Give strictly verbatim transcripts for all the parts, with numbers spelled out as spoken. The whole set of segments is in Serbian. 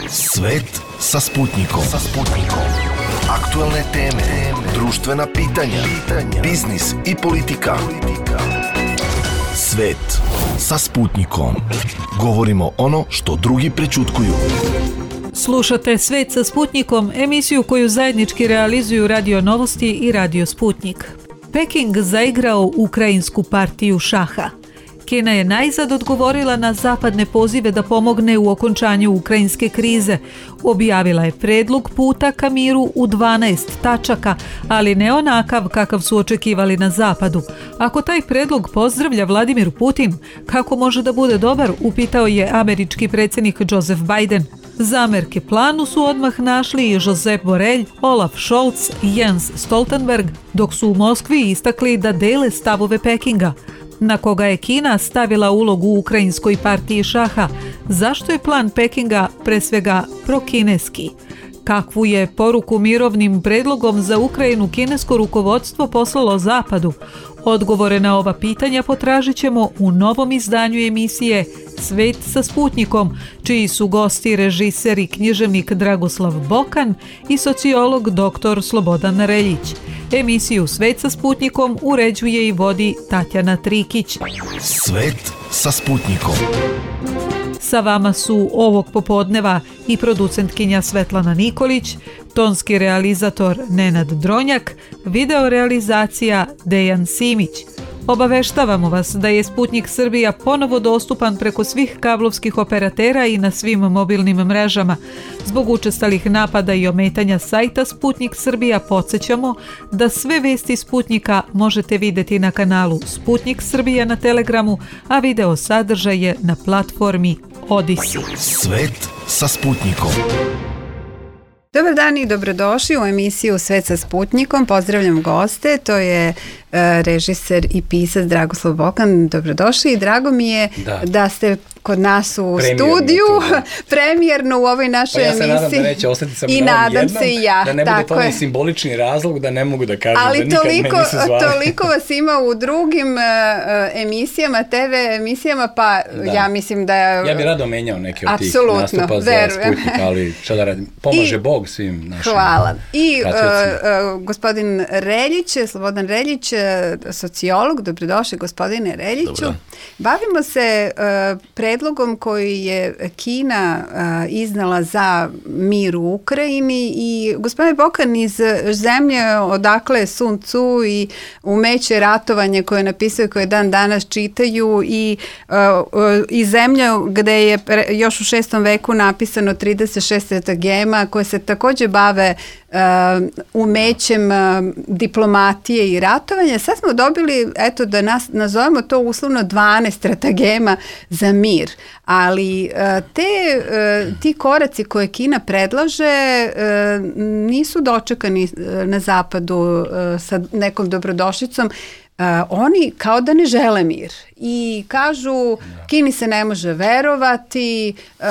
Svet sa Sputnikom. Sa Sputnikom. Aktuelne teme, društvena pitanja, pitanja, biznis i politika. Svet sa Sputnikom. Govorimo ono što drugi prećutkuju. Slušate Svet sa Sputnikom, emisiju koju zajednički realizuju Radio Novosti i Radio Sputnik. Peking zaigrao ukrajinsku partiju šaha. Kina je najzad odgovorila na zapadne pozive da pomogne u okončanju ukrajinske krize. Objavila je predlog puta ka miru u dvanaest tačaka, ali ne onakav kakav su očekivali na zapadu. Ako taj predlog pozdravlja Vladimir Putin, kako može da bude dobar, upitao je američki predsjednik Joseph Biden. Zamerke planu su odmah našli i Josep Borrell, Olaf Scholz i Jens Stoltenberg, dok su u Moskvi istakli da dele stavove Pekinga. Na koga je Kina stavila ulogu u ukrajinskoj partiji šaha? Zašto je plan Pekinga pre svega prokineski? Kakvu je poruku mirovnim predlogom za Ukrajinu kinesko rukovodstvo poslalo Zapadu? Odgovore na ova pitanja potražit ćemo u novom izdanju emisije Svet sa Sputnikom, čiji su gosti režiser i književnik Dragoslav Bokan i sociolog doktor Slobodan Reljić. Emisiju Svet sa Sputnikom uređuje i vodi Tatjana Trikić. Svet sa Sputnikom. Sa vama su ovog popodneva i producentkinja Svetlana Nikolić, tonski realizator Nenad Dronjak, video realizacija Dejan Simić. Obaveštavamo vas da je Sputnik Srbija ponovo dostupan preko svih kablovskih operatera i na svim mobilnim mrežama. Zbog učestalih napada i ometanja sajta Sputnik Srbija podsjećamo da sve vesti Sputnika možete vidjeti na kanalu Sputnik Srbija na Telegramu, a video sadržaje na platformi Odisi. Svet sa Sputnikom. Dobar dan i dobrodošli u emisiju Svet sa Sputnikom. Pozdravljam goste, to je uh, režiser i pisac Dragoslav Bokan. Dobrodošli i drago mi je da, da ste kod nas u premijerno studiju, premijerno u ovoj našoj pa ja se emisiji. Nadam da neće ostati sa I nadam jednom, se i ja. da ne bude to onaj simbolični razlog da ne mogu da kažem ali da toliko, nikad me nisu zvali. toliko vas ima u drugim uh, emisijama, te ve emisijama, pa da. ja mislim da... Ja bih rado menjao neke od tih nastupa za Sputnik, ali šta da radim, pomaže I, Bog svim našim. Hvala. I uh, uh, gospodin Reljić, Slobodan Reljić, sociolog, dobrodošli gospodine Reljiću. Dobro. Bavimo se uh, predlogom koji je Kina uh, iznala za mir u Ukrajini i gospodine Bokan, iz zemlje odakle Sun Tzu i umeće ratovanje koje je napisao, koje dan danas čitaju i uh, uh, i zemlja gde je pre, još u šestom veku napisano trideset šest stratagema koje se takođe bave uh, umećem uh, diplomatije i ratovanja. Sad smo dobili, eto da nas nazovemo to uslovno dvanaest stratagema za mir, ali uh, te, uh, ti koraci koje Kina predlaže uh, nisu dočekani uh, na zapadu uh, sa nekom dobrodošlicom. Uh, oni kao da ne žele mir i kažu Kini se ne može verovati, uh,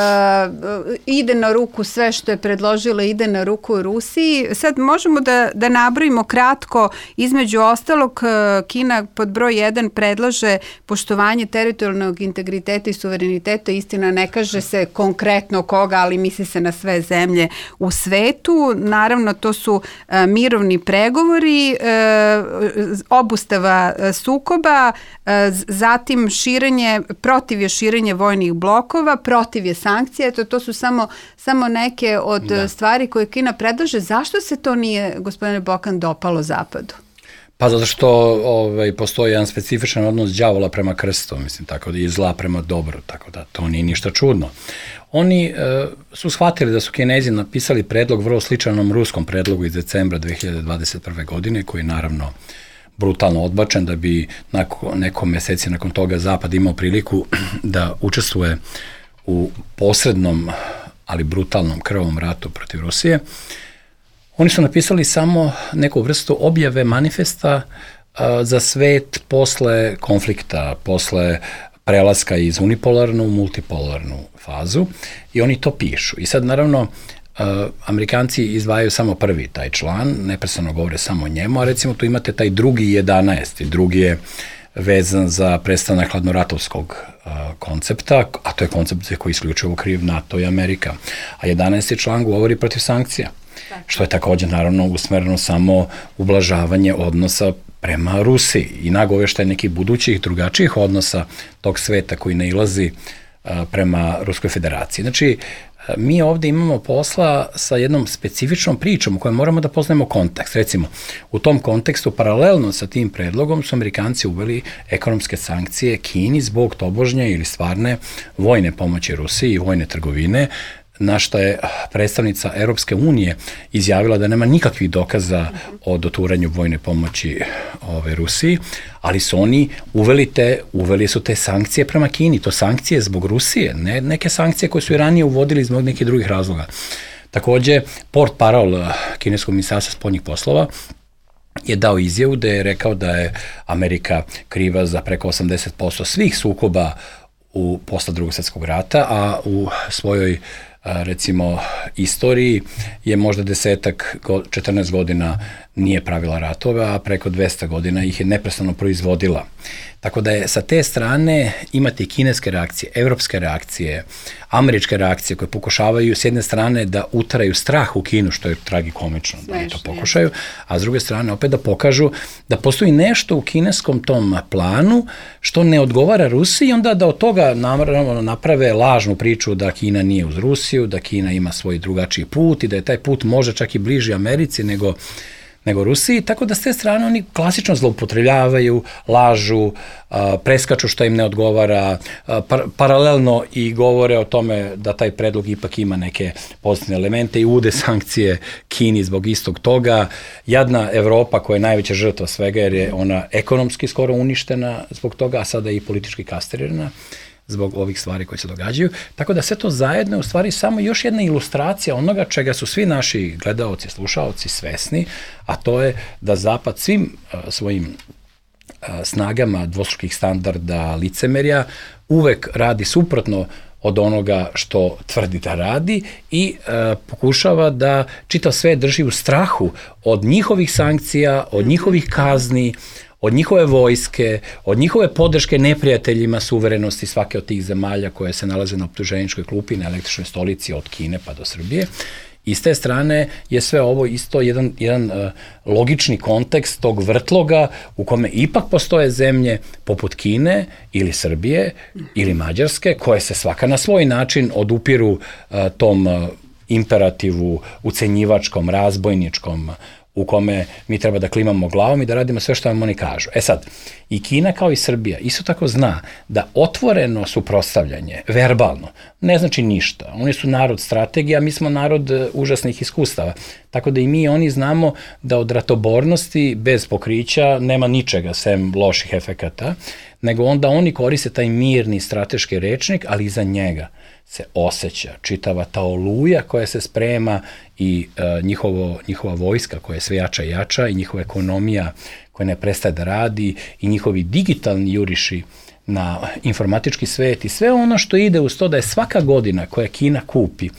ide na ruku sve što je predložila, ide na ruku Rusiji. Sad možemo da, da nabrojimo kratko, između ostalog uh, Kina pod broj jedan predlaže poštovanje teritorijalnog integriteta i suvereniteta, istina ne kaže se konkretno koga, ali misli se na sve zemlje u svetu. Naravno to su uh, mirovni pregovori, uh, obustava sukoba, zatim širenje, protiv je širenje vojnih blokova, protiv je sankcija, to, to su samo, samo neke od da. stvari koje Kina predlaže. Zašto se to nije, gospodine Bokan, dopalo Zapadu? Pa zato što ovaj, postoji jedan specifičan odnos đavola prema krstu, mislim, tako da je zla prema dobru, tako da to nije ništa čudno. Oni e, su shvatili da su Kinezi napisali predlog vrlo sličanom ruskom predlogu iz decembra dve hiljade dvadeset prve. godine, koji je naravno brutalno odbačen, da bi nakon neko meseci nakon toga Zapad imao priliku da učestvuje u posrednom, ali brutalnom krvavom ratu protiv Rusije. Oni su napisali samo neku vrstu objave manifesta uh, za svet posle konflikta, posle prelaska iz unipolarnu u multipolarnu fazu i oni to pišu. I sad naravno Uh, Amerikanci izdvajaju samo prvi taj član, neprestano govore samo o njemu, a recimo tu imate taj drugi jedanaesti, drugi je vezan za prestanak hladnoratovskog koncepta, a to je koncept koji isključivo kriv NATO i Amerika. A jedanaesti član govori protiv sankcija, što je takođe naravno usmereno samo ublažavanje odnosa prema Rusiji i nagoveštaj nekih budućih drugačijih odnosa tog sveta koji nailazi prema Ruskoj federaciji. Znači, mi ovde imamo posla sa jednom specifičnom pričom u kojoj moramo da poznajemo kontekst. Recimo, u tom kontekstu, paralelno sa tim predlogom, su Amerikanci uveli ekonomske sankcije Kini zbog tobožnje ili stvarne vojne pomoći Rusiji i vojne trgovine, na što je predstavnica Europske unije izjavila da nema nikakvih dokaza o doturanju vojne pomoći ove Rusiji, ali su oni uveli, te, uveli su te sankcije prema Kini. To sankcije zbog Rusije, ne neke sankcije koje su i ranije uvodili zbog nekih drugih razloga. Takođe, port parol kineskog ministarstva spoljnih poslova je dao izjavu da je rekao da je Amerika kriva za preko osamdeset posto svih sukoba u posle Drugog svjetskog rata, a u svojoj recimo istoriji je možda desetak, četrnaest godina nije pravila ratove, a preko dvesta godina ih je neprestano proizvodila. Tako da je sa te strane imate i kineske reakcije, evropske reakcije, američke reakcije koje pokušavaju s jedne strane da utaraju strah u Kinu, što je tragikomično da oni to pokušaju, a s druge strane opet da pokažu da postoji nešto u kineskom tom planu što ne odgovara Rusiji i onda da od toga naprave lažnu priču da Kina nije uz Rusiju, da Kina ima svoj drugačiji put i da je taj put možda čak i bliži Americi nego nego Rusiji, tako da s te strane oni klasično zloupotrebljavaju, lažu, preskaču što im ne odgovara, par, paralelno i govore o tome da taj predlog ipak ima neke pozitivne elemente i ude sankcije Kini zbog istog toga. Jadna Evropa koja je najveća žrtva svega jer je ona ekonomski skoro uništena zbog toga, a sada i politički kastrirana zbog ovih stvari koje se događaju. Tako da sve to zajedno je u stvari samo još jedna ilustracija onoga čega su svi naši gledaoci, slušaoci svesni, a to je da Zapad svim uh, svojim uh, snagama dvostrukih standarda licemerja uvek radi suprotno od onoga što tvrdi da radi i uh, pokušava da čitav sve drži u strahu od njihovih sankcija, od njihovih kazni, od njihove vojske, od njihove podrške neprijateljima suverenosti svake od tih zemalja koje se nalaze na optuženičkoj klupi, na električnoj stolici od Kine pa do Srbije. I s te strane je sve ovo isto jedan, jedan uh, logični kontekst tog vrtloga u kome ipak postoje zemlje poput Kine ili Srbije ili Mađarske koje se svaka na svoj način odupiru uh, tom uh, imperativu ucenjivačkom, razbojničkom, u kome mi treba da klimamo glavom i da radimo sve što vam oni kažu. E sad, i Kina kao i Srbija isto tako zna da otvoreno suprotstavljanje, verbalno, ne znači ništa. Oni su narod strategija, mi smo narod užasnih iskustava. Tako da i mi i oni znamo da od ratobornosti bez pokrića nema ničega sem loših efekata, nego onda oni koriste taj mirni strateški rečnik, ali iza njega se osjeća čitava ta oluja koja se sprema i uh, njihovo, njihova vojska koja je sve jača i jača i njihova ekonomija koja ne prestaje da radi i njihovi digitalni juriši na informatički svet i sve ono što ide uz to da je svaka godina koja Kina kupi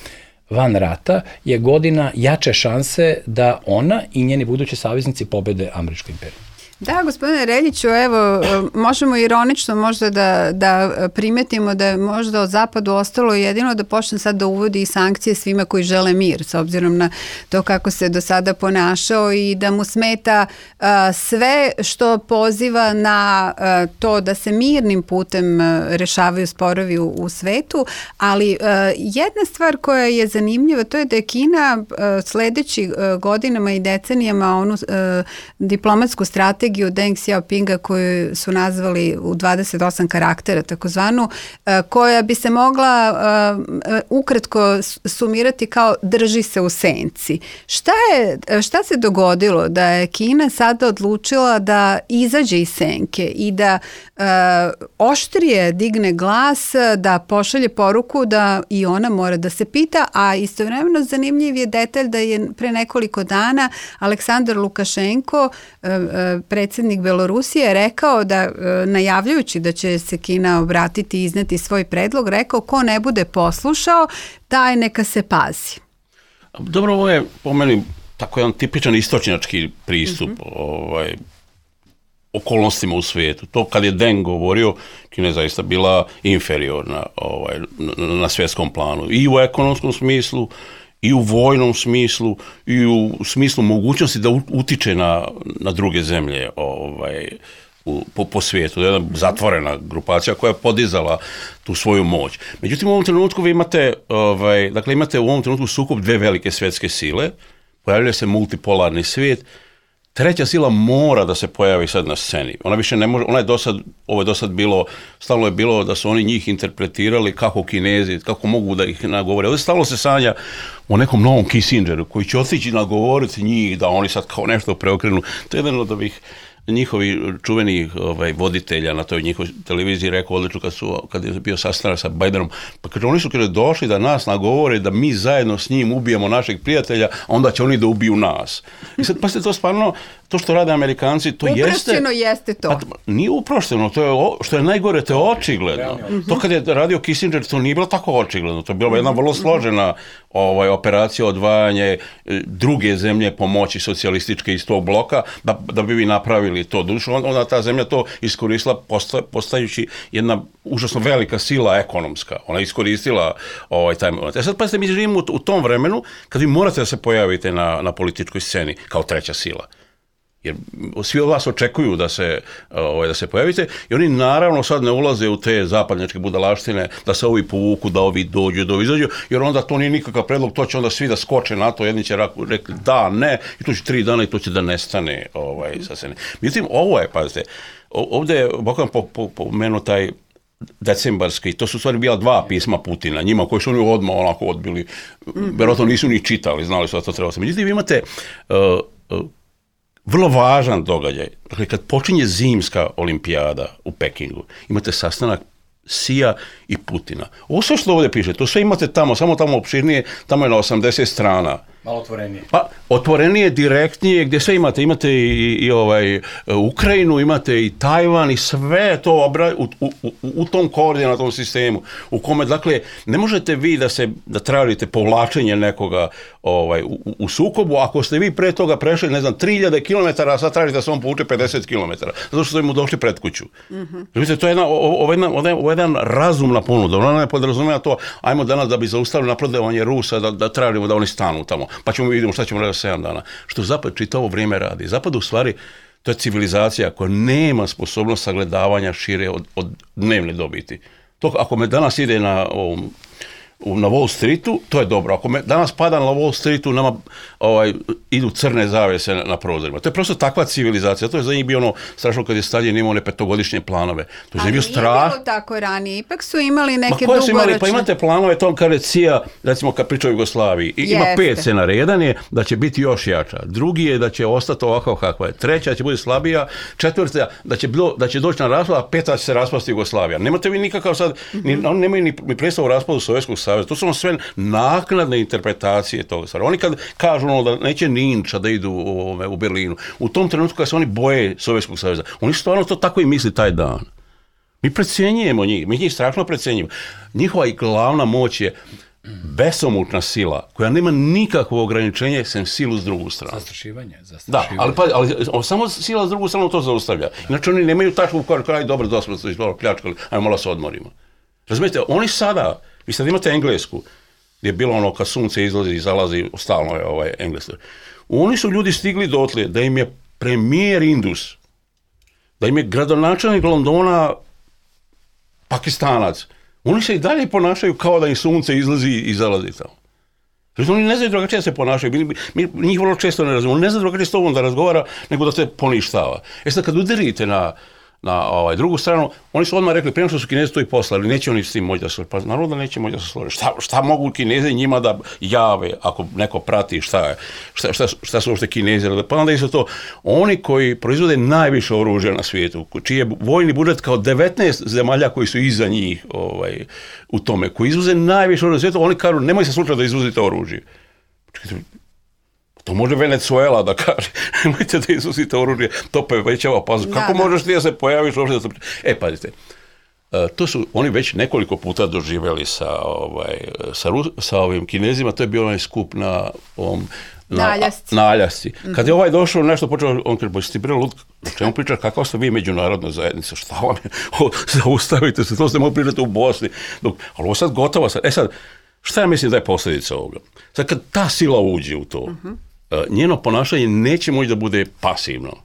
van rata je godina jače šanse da ona i njeni budući saveznici pobede američku imperiju. Da, gospodine Reljiću, evo, možemo ironično možda da, da primetimo da je možda od Zapadu ostalo jedino da počne sad da uvodi i sankcije svima koji žele mir, s obzirom na to kako se do sada ponašao i da mu smeta uh, sve što poziva na uh, to da se mirnim putem uh, rešavaju sporovi u, u svetu, ali uh, jedna stvar koja je zanimljiva, to je da je Kina uh, sledeći uh, godinama i decenijama onu uh, diplomatsku strategiju Deng Xiaopinga koju su nazvali u dvadeset osam karaktera takozvanu, koja bi se mogla uh, ukratko sumirati kao drži se u senci. Šta je, šta se dogodilo da je Kina sada odlučila da izađe iz senke i da uh, oštrije digne glas, da pošalje poruku da i ona mora da se pita, a istovremeno zanimljiv je detalj da je pre nekoliko dana Aleksandar Lukašenko, uh, predsjednik Belorusije, rekao da, najavljujući da će se Kina obratiti i izneti svoj predlog, rekao ko ne bude poslušao, taj neka se pazi. Dobro, ovo je po meni tako jedan tipičan istočnjački pristup. Mm-hmm. ovaj, okolnostima u svijetu. To kad je Deng govorio, Kina je zaista bila inferiorna ovaj, na, na svjetskom planu. I u ekonomskom smislu, i u vojnom smislu, i u smislu mogućnosti da utiče na, na druge zemlje ovaj, u, po, po svijetu. Jedna zatvorena grupacija koja je podizala tu svoju moć. Međutim, u ovom trenutku vi imate, ovaj, dakle, imate u ovom trenutku sukob dve velike svjetske sile, pojavljuje se multipolarni svijet. Treća sila mora da se pojavi sad na sceni. Ona više ne može, ona je dosad, ovo je dosad bilo, stalno je bilo da su oni njih interpretirali kako Kinezi, kako mogu da ih nagovore. Ovdje stalno se sanja o nekom novom Kissingeru koji će otići nagovoriti njih da oni sad kao nešto preokrenu. To je jedan od ovih njihovi čuveni ovaj, voditelja na toj njihovoj televiziji rekao odlično kad, su, kad je bio sastanak sa Bidenom, pa kaže, oni su kada došli da nas nagovore da mi zajedno s njim ubijemo našeg prijatelja, a onda će oni da ubiju nas. I sad pa ste to stvarno, to što rade Amerikanci, to uprošćeno jeste... Uprošćeno jeste to. Pa, nije uprošćeno, to je, što je najgore, to je očigledno. Mm-hmm. To kad je radio Kissinger, to nije bilo tako očigledno, to je bila jedna vrlo složena ovaj, operacija odvajanje druge zemlje pomoći socijalističke iz tog bloka, da, da bi vi napravili to. Dušo, onda ta zemlja to iskoristila posta, postajući jedna užasno velika sila ekonomska. Ona je iskoristila ovaj, taj moment. E sad pa ste mi živimo u, u tom vremenu kad vi morate da se pojavite na, na političkoj sceni kao treća sila. Jer svi od vas očekuju da se, ovaj, da se pojavite i oni naravno sad ne ulaze u te zapadnjačke budalaštine da se ovi povuku, da ovi dođu, da ovi izađu, jer onda to nije nikakav predlog, to će onda svi da skoče na to, jedni će rekli da, ne, i to će tri dana i to će da nestane ovaj, sa scene. Međutim, ovo je, pazite, ovdje je Bokan pomenuo taj decembarski, to su stvari bila dva pisma Putina, njima koji su oni odmah onako odbili, vjerojatno nisu ni čitali, znali su da to treba se. Međutim, vi imate uh, uh, vrlo važan događaj. Dakle, kad počinje zimska olimpijada u Pekingu, imate sastanak Sija i Putina. Ovo sve što ovdje piše, to sve imate tamo, samo tamo opširnije, tamo je na osamdeset strana. Malo otvorenije. Pa, otvorenije, direktnije, gdje sve imate. Imate i, i ovaj, Ukrajinu, imate i Tajvan i sve to obra, u, u, u, u tom koordinatom sistemu. U kome, dakle, ne možete vi da se da tražite povlačenje nekoga ovaj, u, u sukobu, ako ste vi pre toga prešli, ne znam, tri hiljade kilometara, a sad tražite da se on povuče pedeset kilometara. Zato što ste mu došli pred kuću. Mm-hmm. Vidite, to je jedna, ovo, jedna, ovo je jedan razumna ponuda. Ona ne podrazumeva to, ajmo danas da bi zaustavili napredovanje Rusa, da, da tražimo da oni stanu tamo. Pa ćemo vidjeti šta ćemo raditi sedam dana. Što Zapad čitavo vrijeme radi. Zapad u stvari, to je civilizacija koja nema sposobnost sagledavanja šire od, od dnevne dobiti. To ako me danas ide na, ovom, na Wall Streetu, to je dobro. Ako me danas pada na Wall Streetu, nama ovaj, idu crne zavese na, na prozorima. To je prosto takva civilizacija. To je za njih bio ono strašno kad je Stalin imao one petogodišnje planove. To je za njih bio strah. Ali nije bilo tako ranije. Ipak su imali neke Ma koje su dugoročne... imali? Pa imate planove, to kaže Cija, recimo kad priča o Jugoslaviji. I, ima pet scenarija. Jedan je da će biti još jača. Drugi je da će ostati ovako kakva je. Treća će biti slabija. Četvrta da će, bilo, da će doći na raspad, a peta će se raspasti Jugoslavija. Nemate vi nikakav sad, mm-hmm. ni, oni nemaju ni, ni predstavu o raspadu Sovjetskog saveza. To su sve naknadne interpretacije toga stvari. Oni kad kažu ono da neće Ninča da idu u, u Berlinu, u tom trenutku kad se oni boje Sovjetskog saveza, oni stvarno to tako i misli taj dan. Mi precjenjujemo njih, mi njih strašno precjenjujemo. Njihova i glavna moć je besomučna sila, koja nema nikakvo ograničenje sem silu s drugu stranu. Zastrašivanje. zastrašivanje. Da, ali, pa, ali samo sila s drugu stranu to zaustavlja. Inače oni nemaju tačku koja kaže, dobro, dosta smo se pljačkali, ajmo malo se odmorimo. Razumijete, oni sada, vi sad imate Englesku, gdje je bilo ono kad sunce izlazi i zalazi, stalno je ovaj Engleska. Oni su ljudi stigli dotle da im je premijer Indus, da im je gradonačelnik Londona Pakistanac. Oni se i dalje ponašaju kao da im sunce izlazi i zalazi tamo. Znači, oni ne znaju drugačije da se ponašaju. Mi, mi njih vrlo često ne razumiju. Oni ne znaju drugačije s tobom da razgovara, nego da se poništava. E sad kad udarite na na ovaj, drugu stranu, oni su odmah rekli, prije što su Kinezi to i poslali, neće oni s tim moći da se složi. Pa naravno da neće moći da se složi. Šta, šta mogu Kinezi njima da jave, ako neko prati šta, je, šta, šta, šta su uopšte Kinezi? Pa onda su to oni koji proizvode najviše oružja na svijetu, čiji je vojni budžet kao devetnaest zemalja koji su iza njih ovaj, u tome, koji izvoze najviše oružja na svijetu, oni kažu, nemoj se slučati da izvozite oružje. Čekajte, to može Venezuela da kaže, nemojte da izvozite oružje, to povećava pazu. Kako da, možeš ti da se pojaviš uopšte da se... E, pazite, to su oni već nekoliko puta doživjeli sa, ovaj, sa, Rus, sa ovim Kinezima, to je bio onaj skup na ovom na, naljasci. naljasci. Kad je ovaj došao nešto počeo, on kaže, bojte ti bre lud, o čemu pričaš, kakva ste vi međunarodna zajednica, šta vam je, o, zaustavite se, to ste mogli pričati u Bosni, dok, ali ovo sad gotovo sad, e sad, šta ja mislim da je posljedica ovoga? Sad kad ta sila uđe u to, uh-huh. njeno ponašanje neće moći da bude pasivno.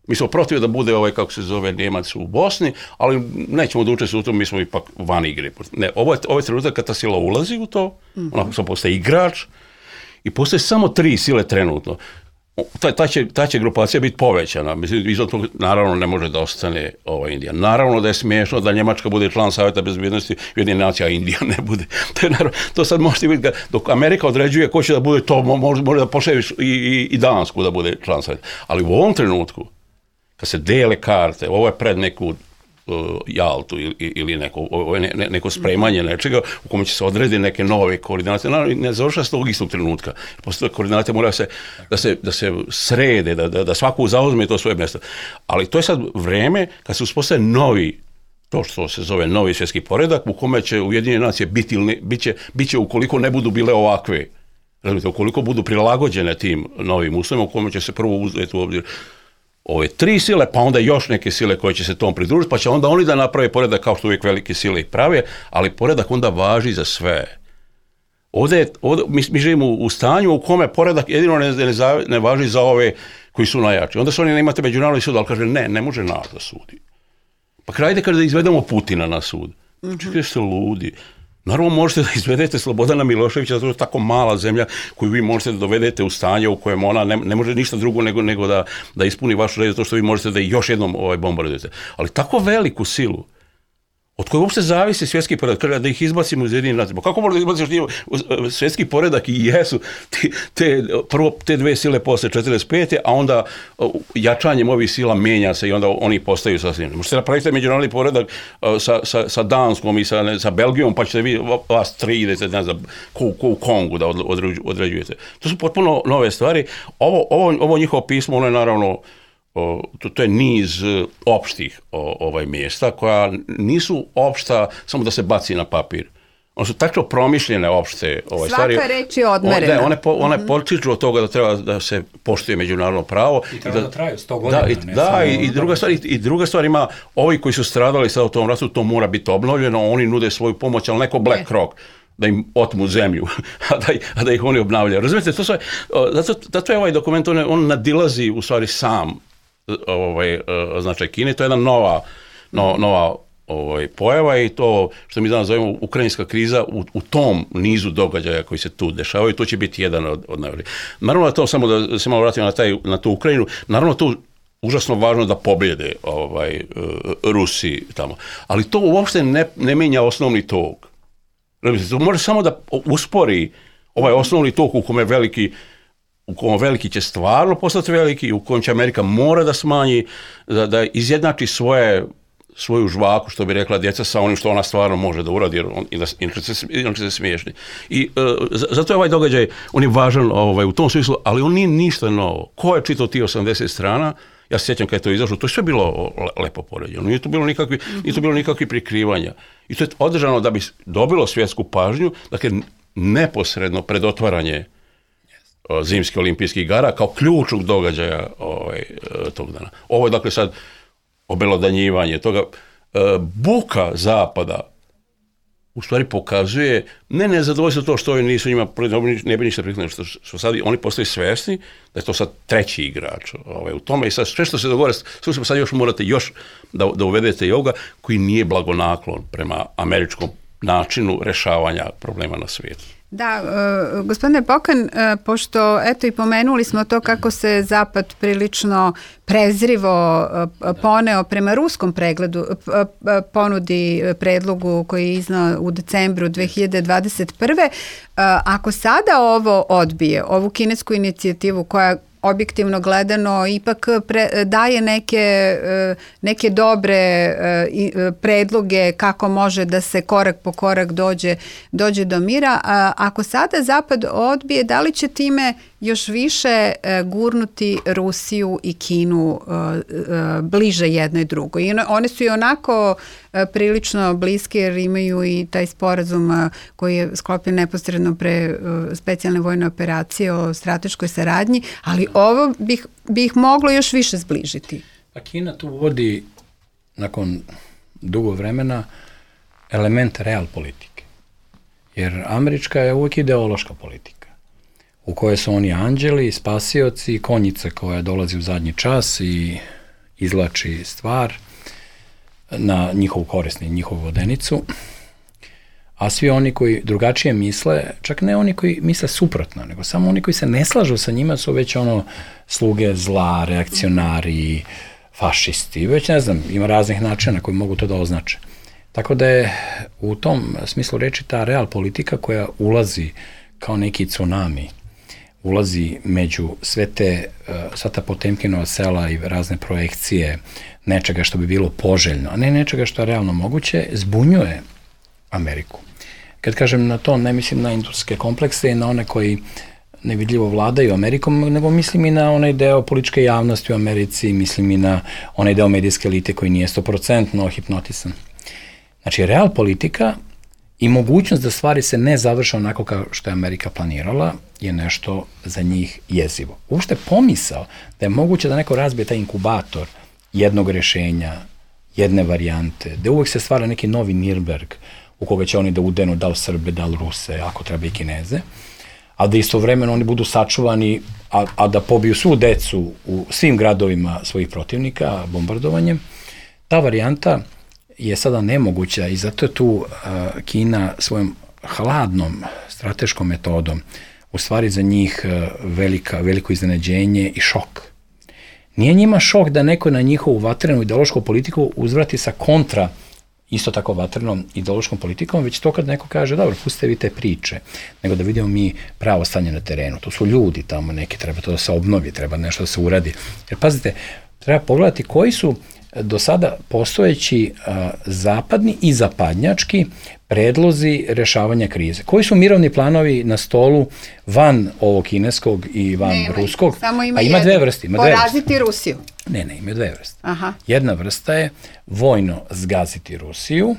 Mi smo protiv da bude ovaj, kako se zove, Njemac u Bosni, ali nećemo da učestvujemo u tom, mi smo ipak van igre. Ne, ovo je, ovo je trenutak kad ta sila ulazi u to, mm-hmm. ona samo postaje igrač i postoje samo tri sile trenutno. Ta, ta, će, ta će grupacija biti povećana. Mislim, izvan toga, naravno, ne može da ostane ova Indija. Naravno da je smiješno da Njemačka bude član Savjeta bezbjednosti Ujedinjenih nacija, a Indija ne bude. To, je, naravno, to sad možete vidjeti, dok Amerika određuje ko će da bude, to može, može da pošaljiš i, i, i Dansku da bude član Savjeta. Ali u ovom trenutku, kad se dele karte, ovo je pred neku uh, Jaltu ili, ili neko, ovo je ne, neko spremanje nečega u kome će se odrediti neke nove koordinate. Naravno, ne završa s tog istog trenutka. Postoje koordinate moraju se, da, se, da se srede, da, da, da svaku zauzme to svoje mjesto. Ali to je sad vreme kad se uspostaje novi, to što se zove novi svjetski poredak, u kome će Ujedinjene nacije biti ili ne, bit će, bit će ukoliko ne budu bile ovakve. Razumite, ukoliko budu prilagođene tim novim uslovima, u kome će se prvo uzeti u obzir ove tri sile, pa onda još neke sile koje će se tom pridružiti, pa će onda oni da naprave poredak kao što uvijek velike sile i prave, ali poredak onda važi za sve. Ovdje, ovdje mi, mi živimo u stanju u kome poredak jedino ne, ne, ne važi za ove koji su najjači. Onda su oni ne imate međunarodni sud, ali kaže ne, ne može nas da sudi. Pa krajde kaže da izvedemo Putina na sud. Mm-hmm. Čekaj, ste ludi. Naravno možete da izvedete Slobodana Miloševića, zato je tako mala zemlja koju vi možete da dovedete u stanje u kojem ona ne, ne može ništa drugo nego, nego da, da ispuni vašu red, zato što vi možete da još jednom ovaj, bombardujete. Ali tako veliku silu, od koje uopšte zavisi svjetski poredak, da ih izbacimo iz Ujedinjenih nacija. Kako možda izbaciš svjetski poredak i jesu te, te, prvo te dve sile posle četrdeset pete a onda jačanjem ovih sila menja se i onda oni postaju sasvim. Možete napraviti međunarodni poredak sa, sa, sa Danskom i sa, ne, sa Belgijom, pa ćete vi vas tri idete, ne znam, ko, ko u Kongu da određujete. To su potpuno nove stvari. Ovo, ovo, ovo njihovo pismo, ono je naravno O, to, to je niz opštih o, ovaj mjesta koja nisu opšta samo da se baci na papir. One su tako promišljene opšte ovaj, stvari. Svaka reč je odmerena. One, one, po, one mm-hmm. potiču od toga da treba da se poštuje međunarodno pravo. I treba da, da traju sto godina. Da, i, ne, da i, i, druga stvar, i, i druga stvar ima, ovi koji su stradali sad u tom ratu, to mora biti obnovljeno, oni nude svoju pomoć, ali neko Black Rock da im otmu zemlju, a da, a da ih oni obnavljaju. Razumijete, to sve, zato, zato je ovaj dokument, on, on nadilazi u stvari sam ovaj značaj Kine, to je jedna nova, no, nova ovaj, pojava i to što mi danas zovemo ukrajinska kriza u, u tom nizu događaja koji se tu dešavaju, to će biti jedan od, od najvažnijih. Naravno to samo da se malo vratimo na, taj, na tu Ukrajinu, naravno to užasno važno da pobjede ovaj, Rusi tamo, ali to uopšte ne, ne menja osnovni tok. To može samo da uspori ovaj osnovni tok u kome veliki u kojem veliki će stvarno postati veliki, u kojem će Amerika mora da smanji, da, da izjednači svoje, svoju žvaku, što bi rekla djeca, sa onim što ona stvarno može da uradi, jer on, inače se, se smiješni. I uh, zato je ovaj događaj, on je važan ovaj, u tom smislu, ali on nije ništa novo. Ko je čitao ti osamdeset strana? Ja se sjećam kada je to izašlo, to je sve bilo lepo poređeno, nije to bilo nikakvi, nije to bilo nikakvi prikrivanja. I to je održano da bi dobilo svjetsku pažnju, dakle, neposredno pred otvaranje zimskih olimpijskih igara kao ključnog događaja ovaj, tog dana. Ovo je dakle sad obelodanjivanje toga. Buka zapada u stvari pokazuje ne nezadovoljstvo to što oni nisu njima, ne bi ništa prikladno, što, što sad oni postaju svjesni da je to sad treći igrač ovaj, u tome i sad sve što se dogovore, slušajmo sad još morate još da, da uvedete i ovoga koji nije blagonaklon prema američkom načinu rešavanja problema na svijetu. Da, uh, gospodine Pokan, uh, pošto eto i pomenuli smo to kako se Zapad prilično prezrivo uh, poneo prema ruskom pregledu, uh, uh, ponudi predlogu koji je iznao u decembru dve hiljade dvadeset prve. Uh, ako sada ovo odbije, ovu kinesku inicijativu koja objektivno gledano ipak pre, daje neke, neke dobre predloge kako može da se korak po korak dođe, dođe do mira. A ako sada Zapad odbije, da li će time još više gurnuti Rusiju i Kinu bliže jednoj drugoj. I one su i onako prilično bliske jer imaju i taj sporazum koji je sklopljen neposredno pre specijalne vojne operacije o strateškoj saradnji, ali ovo bih, bih moglo još više zbližiti. Pa Kina tu vodi nakon dugo vremena element real politike. Jer američka je uvijek ideološka politika u kojoj su oni anđeli, spasioci, konjica koja dolazi u zadnji čas i izvlači stvar na njihovu korisni, njihovu vodenicu, a svi oni koji drugačije misle, čak ne oni koji misle suprotno, nego samo oni koji se ne slažu sa njima su već ono sluge zla, reakcionari, fašisti, već ne znam, ima raznih načina koji mogu to da označe. Tako da je u tom smislu reči ta real politika koja ulazi kao neki tsunami, ulazi među sve te, sva ta Potemkinova sela i razne projekcije nečega što bi bilo poželjno, a ne nečega što je realno moguće, zbunjuje Ameriku. Kad kažem na to, ne mislim na industrijske komplekse i na one koji nevidljivo vladaju Amerikom, nego mislim i na onaj deo političke javnosti u Americi, mislim i na onaj deo medijske elite koji nije sto procentno hipnotisan. Znači, real politika i mogućnost da stvari se ne završe onako kao što je Amerika planirala je nešto za njih jezivo. Uopšte pomisao da je moguće da neko razbije taj inkubator jednog rešenja, jedne varijante, da uvek se stvara neki novi Nirnberg u koga će oni da udenu da li Srbe, da li Ruse, ako treba i Kineze, a da istovremeno oni budu sačuvani, a, a da pobiju svu decu u svim gradovima svojih protivnika bombardovanjem. Ta varijanta je sada nemoguća i zato je tu uh, Kina svojom hladnom strateškom metodom u stvari za njih uh, velika, veliko iznenađenje i šok. Nije njima šok da neko na njihovu vatrenu ideološku politiku uzvrati sa kontra isto tako vatrenom ideološkom politikom, već to kad neko kaže, dobro, pustite vi te priče, nego da vidimo mi pravo stanje na terenu. To su ljudi tamo neki, treba to da se obnovi, treba nešto da se uradi. Jer pazite, treba pogledati koji su do sada postojeći a, zapadni i zapadnjački predlozi rešavanja krize. Koji su mirovni planovi na stolu van ovog kineskog i van ne, ruskog? Samo ima, a ima dve vrste. Ima poraziti dve vrste. Rusiju. Ne, ne, ima dve vrste. Aha. Jedna vrsta je vojno zgaziti Rusiju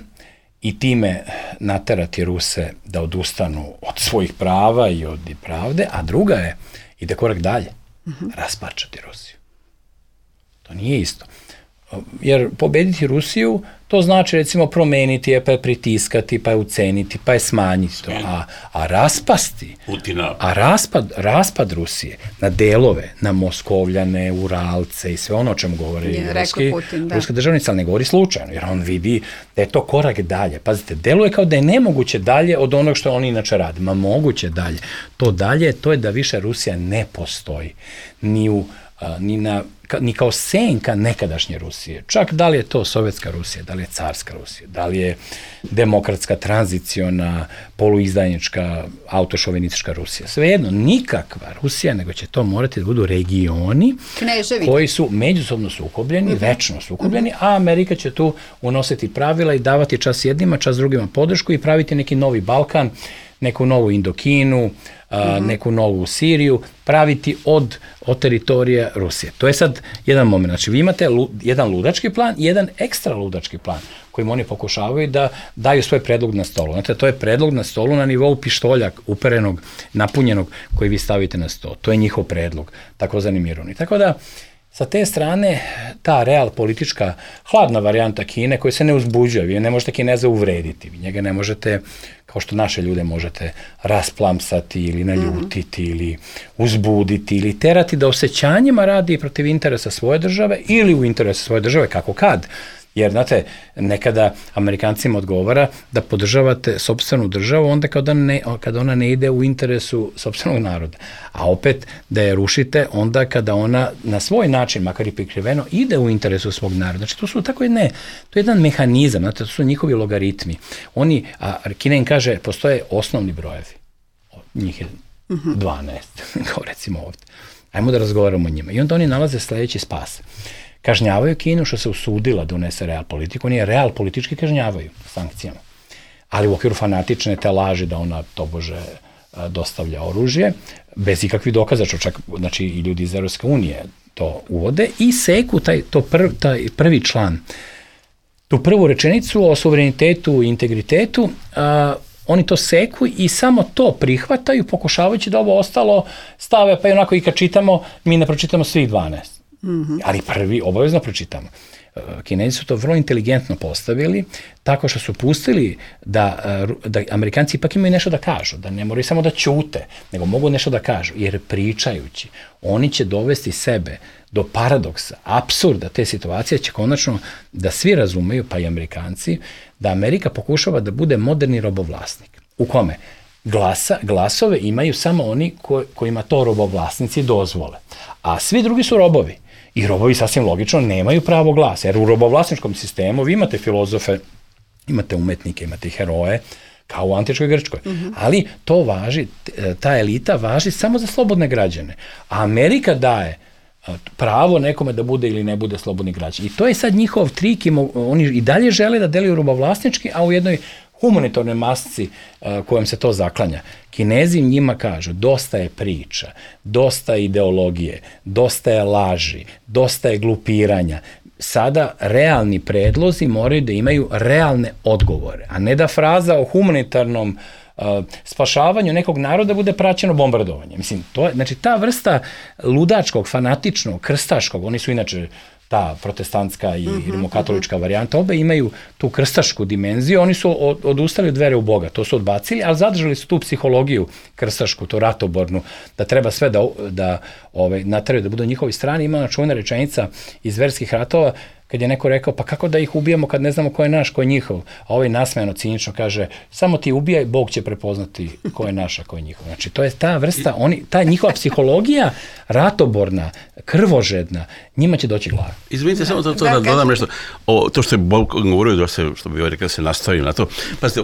i time naterati Ruse da odustanu od svojih prava i od pravde, a druga je, ide korak dalje, uh-huh. rasparčati Rusiju. To nije isto. Jer pobediti Rusiju, to znači recimo promeniti je, pa je pritiskati, pa je uceniti, pa je smanjiti to. A, a raspasti, Putina. a raspad, raspad Rusije na delove, na Moskovljane, Uralce i sve ono o čemu govori je, ruski, Putin, da. ruska državnica, ali ne govori slučajno, jer on vidi da je to korak dalje. Pazite, deluje kao da je nemoguće dalje od onog što oni inače rade. Ma moguće dalje. To dalje, to je da više Rusija ne postoji. Ni u ni, na, ni kao senka nekadašnje Rusije. Čak da li je to sovjetska Rusija, da li je carska Rusija, da li je demokratska, tranziciona, poluizdajnička, autošovinistička Rusija. Svejedno, nikakva Rusija, nego će to morati da budu regioni Kneževi. koji su međusobno sukobljeni, uh-huh. večno sukobljeni, a Amerika će tu unositi pravila i davati čas jednima, čas drugima podršku i praviti neki novi Balkan, neku novu Indokinu, a, uh-huh. neku novu Siriju, praviti od, od teritorija Rusije. To je sad jedan moment. Znači, vi imate lu, jedan ludački plan i jedan ekstra ludački plan kojim oni pokušavaju da daju svoj predlog na stolu. Znate, to je predlog na stolu na nivou pištolja uperenog, napunjenog koji vi stavite na sto. To je njihov predlog, takozvani mirovni. Tako da, sa te strane, ta real politička hladna varijanta Kine koja se ne uzbuđuje, vi ne možete Kineza uvrediti, vi njega ne možete, kao što naše ljude možete rasplamsati ili naljutiti mm-hmm. ili uzbuditi ili terati da osjećanjima radi protiv interesa svoje države ili u interesu svoje države, kako kad. Jer, znate, nekada Amerikancima odgovara da podržavate sopstvenu državu onda kada, ne, kada ona ne ide u interesu sopstvenog naroda. A opet da je rušite onda kada ona na svoj način, makar i prikriveno, ide u interesu svog naroda. Znači, to su tako jedne, to je jedan mehanizam, znate, to su njihovi logaritmi. Oni, a Kina im kaže, postoje osnovni brojevi. Njih je dvanaest, kao recimo ovdje. Ajmo da razgovaramo o njima. I onda oni nalaze sledeći spas. Kažnjavaju Kinu što se usudila da unese real politiku, oni je real politički kažnjavaju sankcijama. Ali u okviru fanatične te laži da ona tobože dostavlja oružje, bez ikakvih dokaza, što čak znači, i ljudi iz Evropske unije to uvode i seku taj, to prv, taj prvi član, tu prvu rečenicu o suverenitetu i integritetu, a, oni to seku i samo to prihvataju, pokušavajući da ovo ostalo stave, pa i onako i kad čitamo, mi ne pročitamo svih dvanaest. Mm-hmm. Ali prvi obavezno pročitamo. Kinezi su to vrlo inteligentno postavili, tako što su pustili da, da Amerikanci ipak imaju nešto da kažu, da ne moraju samo da ćute, nego mogu nešto da kažu, jer pričajući, oni će dovesti sebe do paradoksa, apsurda te situacije, će konačno da svi razumeju, pa i Amerikanci, da Amerika pokušava da bude moderni robovlasnik. U kome? Glasa, glasove imaju samo oni ko, kojima to robovlasnici dozvole, a svi drugi su robovi. I robovi sasvim logično nemaju pravo glasa, jer u robovlasničkom sistemu vi imate filozofe, imate umetnike, imate heroje, kao u antičkoj Grčkoj. Mm-hmm. Ali to važi, ta elita važi samo za slobodne građane. A Amerika daje pravo nekome da bude ili ne bude slobodni građan. I to je sad njihov trik i oni i dalje žele da deluju robovlasnički, a u jednoj humanitarnoj masci uh, kojom se to zaklanja. Kinezi njima kažu, dosta je priča, dosta je ideologije, dosta je laži, dosta je glupiranja. Sada realni predlozi moraju da imaju realne odgovore, a ne da fraza o humanitarnom uh, spašavanju nekog naroda bude praćeno bombardovanje. Mislim, to je, znači ta vrsta ludačkog, fanatičnog, krstaškog, oni su inače ta protestantska i mm-hmm, rimokatolička mm-hmm. varijanta, obe imaju tu krstašku dimenziju, oni su od, odustali od vere u Boga, to su odbacili, ali zadržali su tu psihologiju krstašku, tu ratobornu, da treba sve da, da ove, nateraju da budu na njihovoj strani. Ima ona čuvena rečenica iz verskih ratova, kad je neko rekao, pa kako da ih ubijamo kad ne znamo ko je naš, ko je njihov, a ovaj nasmejano, cinično kaže, samo ti ubijaj, Bog će prepoznati ko je naš, a ko je njihov. Znači, to je ta vrsta, oni, ta njihova psihologija, ratoborna, krvožedna, njima će doći glava. Izvinite, samo to, to da, da dodam nešto, o, to što je Bog govorio, da se, što bi rekao, da se nastavim na to. Pazite,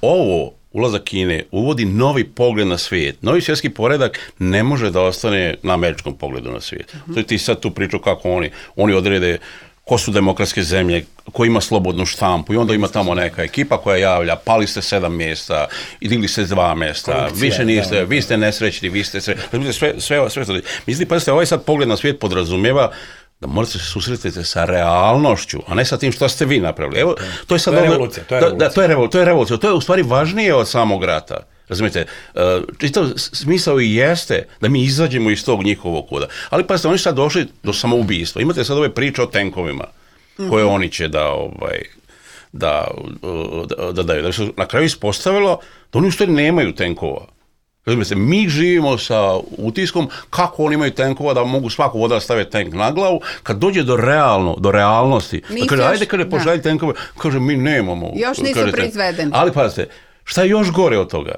ovo, ulazak Kine uvodi novi pogled na svijet. Novi svjetski poredak ne može da ostane na američkom pogledu na svijet. Uh-huh. To je ti sad tu priču kako oni, oni odrede ko su demokratske zemlje, ko ima slobodnu štampu i onda ima tamo neka ekipa koja javlja, pali ste sedam mjesta, digli ste dva mjesta, korupcija, više niste, da, vi ste nesrećni, vi ste srećni, sve, sve, sve, sve. Mislim, pazite, ovaj sad pogled na svijet podrazumijeva da morate se susretiti sa realnošću, a ne sa tim što ste vi napravili. Evo, to je sad... To je revolucija, to je revolucija. Da, to je revolucija, to je revolucija. To je u stvari važnije od samog rata. Razumijete, čitav smisao i jeste da mi izađemo iz tog njihovog koda. Ali pa ste oni sad došli do samoubijstva. Imate sad ove priče o tenkovima koje mm-hmm. oni će da, ovaj, da, da, da daju. Da se na kraju ispostavilo da oni u stvari nemaju tenkova. Razumijete, mi živimo sa utiskom kako oni imaju tenkova da mogu svaku voda staviti tank na glavu. Kad dođe do realno, do realnosti, da kaže, ajde kada pošalji tenkove, kaže, mi nemamo. Još nisu kaže, proizvedeni. Ali pazite, šta je još gore od toga?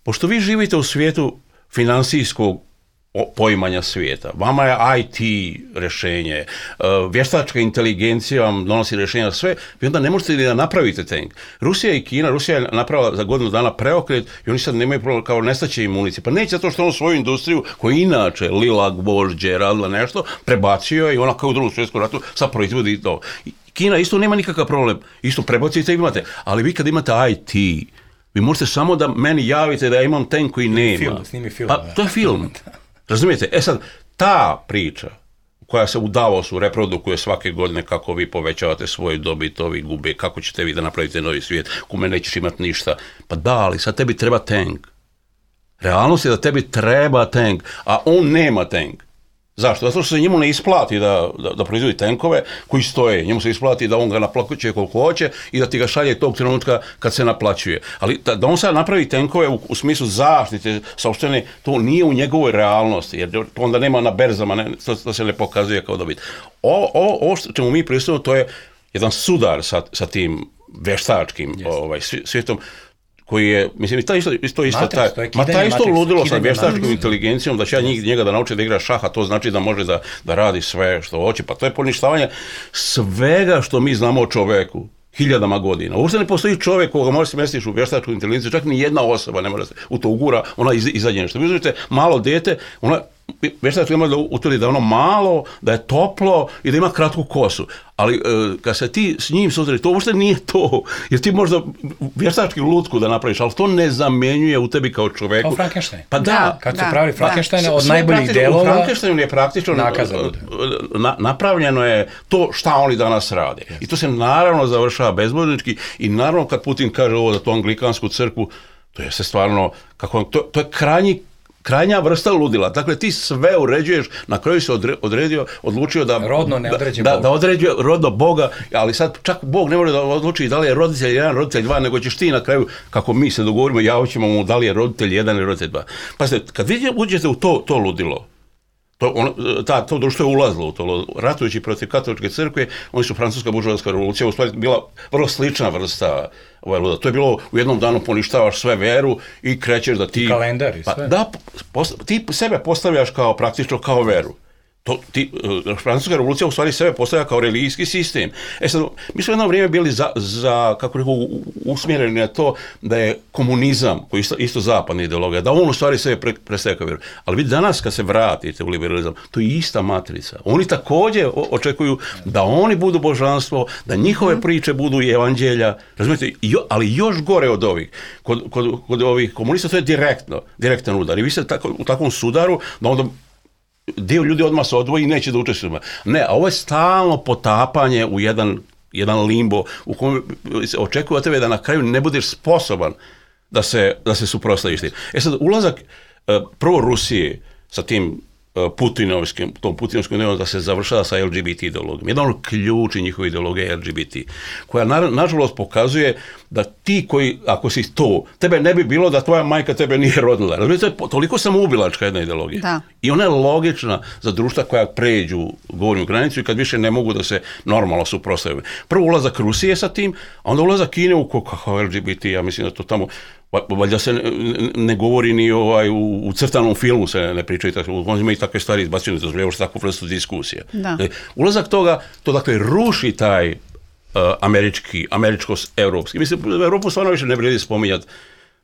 Pošto vi živite u svijetu finansijskog poimanja svijeta, vama je I T rješenje, vještačka inteligencija vam donosi rješenja sve, vi onda ne možete ni da napravite tank. Rusija i Kina, Rusija je napravila za godinu dana preokret i oni sad nemaju problem, kao nestaće im municije. Pa neće zato što ono svoju industriju, koju inače lila, gvožđe, radila nešto, prebacio i ona kao u drugom svjetskom ratu sad proizvodi to. Kina isto nema nikakav problem, isto prebacite i imate, ali vi kad imate I T, vi možete samo da meni javite da ja imam tank koji nema. Film, snimi film. Pa, to je film. Razumijete? E sad, ta priča koja se u Davosu reprodukuje svake godine kako vi povećavate svoju dobit, ovi gube, kako ćete vi da napravite novi svijet, kome nećeš imati ništa. Pa da, ali sad tebi treba tank. Realnost je da tebi treba tank, a on nema tank. Zašto? Zato što se njemu ne isplati da, da, da proizvodi tenkove koji stoje. Njemu se isplati da on ga naplaćuje koliko hoće i da ti ga šalje tog trenutka kad se naplaćuje. Ali da, da on sad napravi tenkove u, u smislu zaštite saopštene, to nije u njegovoj realnosti, jer to onda nema na berzama, ne, to, to se ne pokazuje kao dobit. Ovo, ovo, ovo što ćemo mi pristupiti, to je jedan sudar sa, sa tim veštačkim yes. ovaj, svijetom, koji je, mislim, ta isto, isto, isto Matrix, taj, to je ma ta isto Matrix, ludilo sa vještačkom Matrix. inteligencijom, da će ja njih, njega da nauči da igra šaha, to znači da može da, da radi sve što hoće, pa to je poništavanje svega što mi znamo o čoveku hiljadama godina. Uopšte ne postoji čovjek koga može se mestiš u vještačku inteligenciju, čak ni jedna osoba ne može se u to ugura, ona iz, izađe nešto. Vi uzmite malo dete, ona već da ima da utvrdi da je ono malo, da je toplo i da ima kratku kosu. Ali e, kad se ti s njim susreti, to uopšte nije to. Jer ti možda vještački lutku da napraviš, ali to ne zamjenjuje u tebi kao čoveku. Kao Frankenstein. Pa da. da kad su da, pravili Frankensteina od Sve najboljih delova... U Frankensteinu je praktično na, napravljeno je to šta oni danas rade. Yes. I to se naravno završava bezbojnički i naravno kad Putin kaže ovo za tu anglikansku crkvu, to je se stvarno, kako, to, to je krajnji krajnja vrsta ludila. Dakle, ti sve uređuješ, na kraju se odredio, odlučio da... Rodno ne određuje da, Boga. Da određuje rodno Boga, ali sad čak Bog ne može da odluči da li je roditelj jedan, roditelj dva, nego ćeš ti na kraju, kako mi se dogovorimo, javit ćemo mu da li je roditelj jedan ili roditelj dva. Pazite, kad vi uđete u to, to ludilo, to, on, ta, to društvo je ulazilo u to, ratujući protiv katoličke crkve, oni su francuska buržoaska revolucija, u stvari bila vrlo slična vrsta ovaj luda. To je bilo u jednom danu poništavaš sve veru i krećeš da ti... I kalendar i sve. Pa, da, post, ti sebe postavljaš kao praktično kao veru. To, ti, francuska revolucija u stvari sebe postavlja kao religijski sistem. E sad, mi smo jedno vrijeme bili za, za kako rekao, usmjereni na to da je komunizam, koji je isto, isto zapadna ideologija, da on u stvari sebe pre, predstavlja kao vjeru. Ali vi danas kad se vratite u liberalizam, to je ista matrica. Oni također očekuju da oni budu božanstvo, da njihove priče budu i evanđelja, razumijete, jo, ali još gore od ovih. Kod, kod, kod ovih komunista to je direktno, direktan udar. I vi ste tako, u takvom sudaru da onda dio ljudi odmah se odvoji i neće da učestvuju. Ne, a ovo je stalno potapanje u jedan, jedan limbo u kojem se očekuje od tebe da na kraju ne budeš sposoban da se, da se suprotstaviš tim. E sad, ulazak prvo Rusije sa tim Putinovskim, tom Putinovskom ideologijom da se završava sa L G B T ideologijom. Jedan od ključi njihove ideologije je L G B T, koja na, nažalost pokazuje da ti koji, ako si to, tebe ne bi bilo da tvoja majka tebe nije rodila. Razumijete, to je toliko samoubilačka jedna ideologija. Da. I ona je logična za društva koja pređu gornju granicu i kad više ne mogu da se normalno suprotstavljaju. Prvo ulazak Rusije sa tim, a onda ulazak Kine u kako L G B T, ja mislim da to tamo valjda se ne, ne govori ni ovaj, u, u crtanom filmu se ne, ne pričaju, on ima i takve stvari izbacuju, to je takvu vrstu diskusije. Dakle, ulazak toga, to dakle ruši taj uh, američki, američko-evropski. Mislim, Evropu stvarno više ne vrijedi spominjati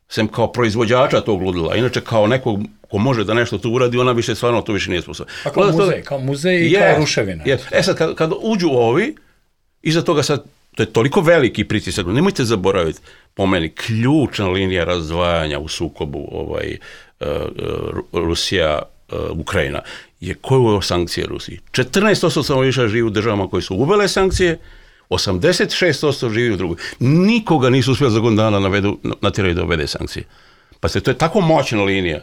sem kao proizvođača tog ludila, inače kao nekog ko može da nešto tu uradi, ona više stvarno to više nije sposobna. Pa kao muzej, kao muzej i je, kao ruševina. Je. E sad, kad, kad uđu ovi, iza toga sad, to je toliko veliki pritisak, nemojte zaboraviti, po meni, ključna linija razdvajanja u sukobu ovaj, uh, Rusija, uh, Ukrajina, je ko je uveo sankcije Rusiji. četrnaest posto stanovništva živi u državama koje su uvele sankcije, osamdeset šest posto živi u drugoj. Nikoga nisu uspjeli za godinu dana navedu, natjeraju da uvede sankcije. Pa se to je tako moćna linija.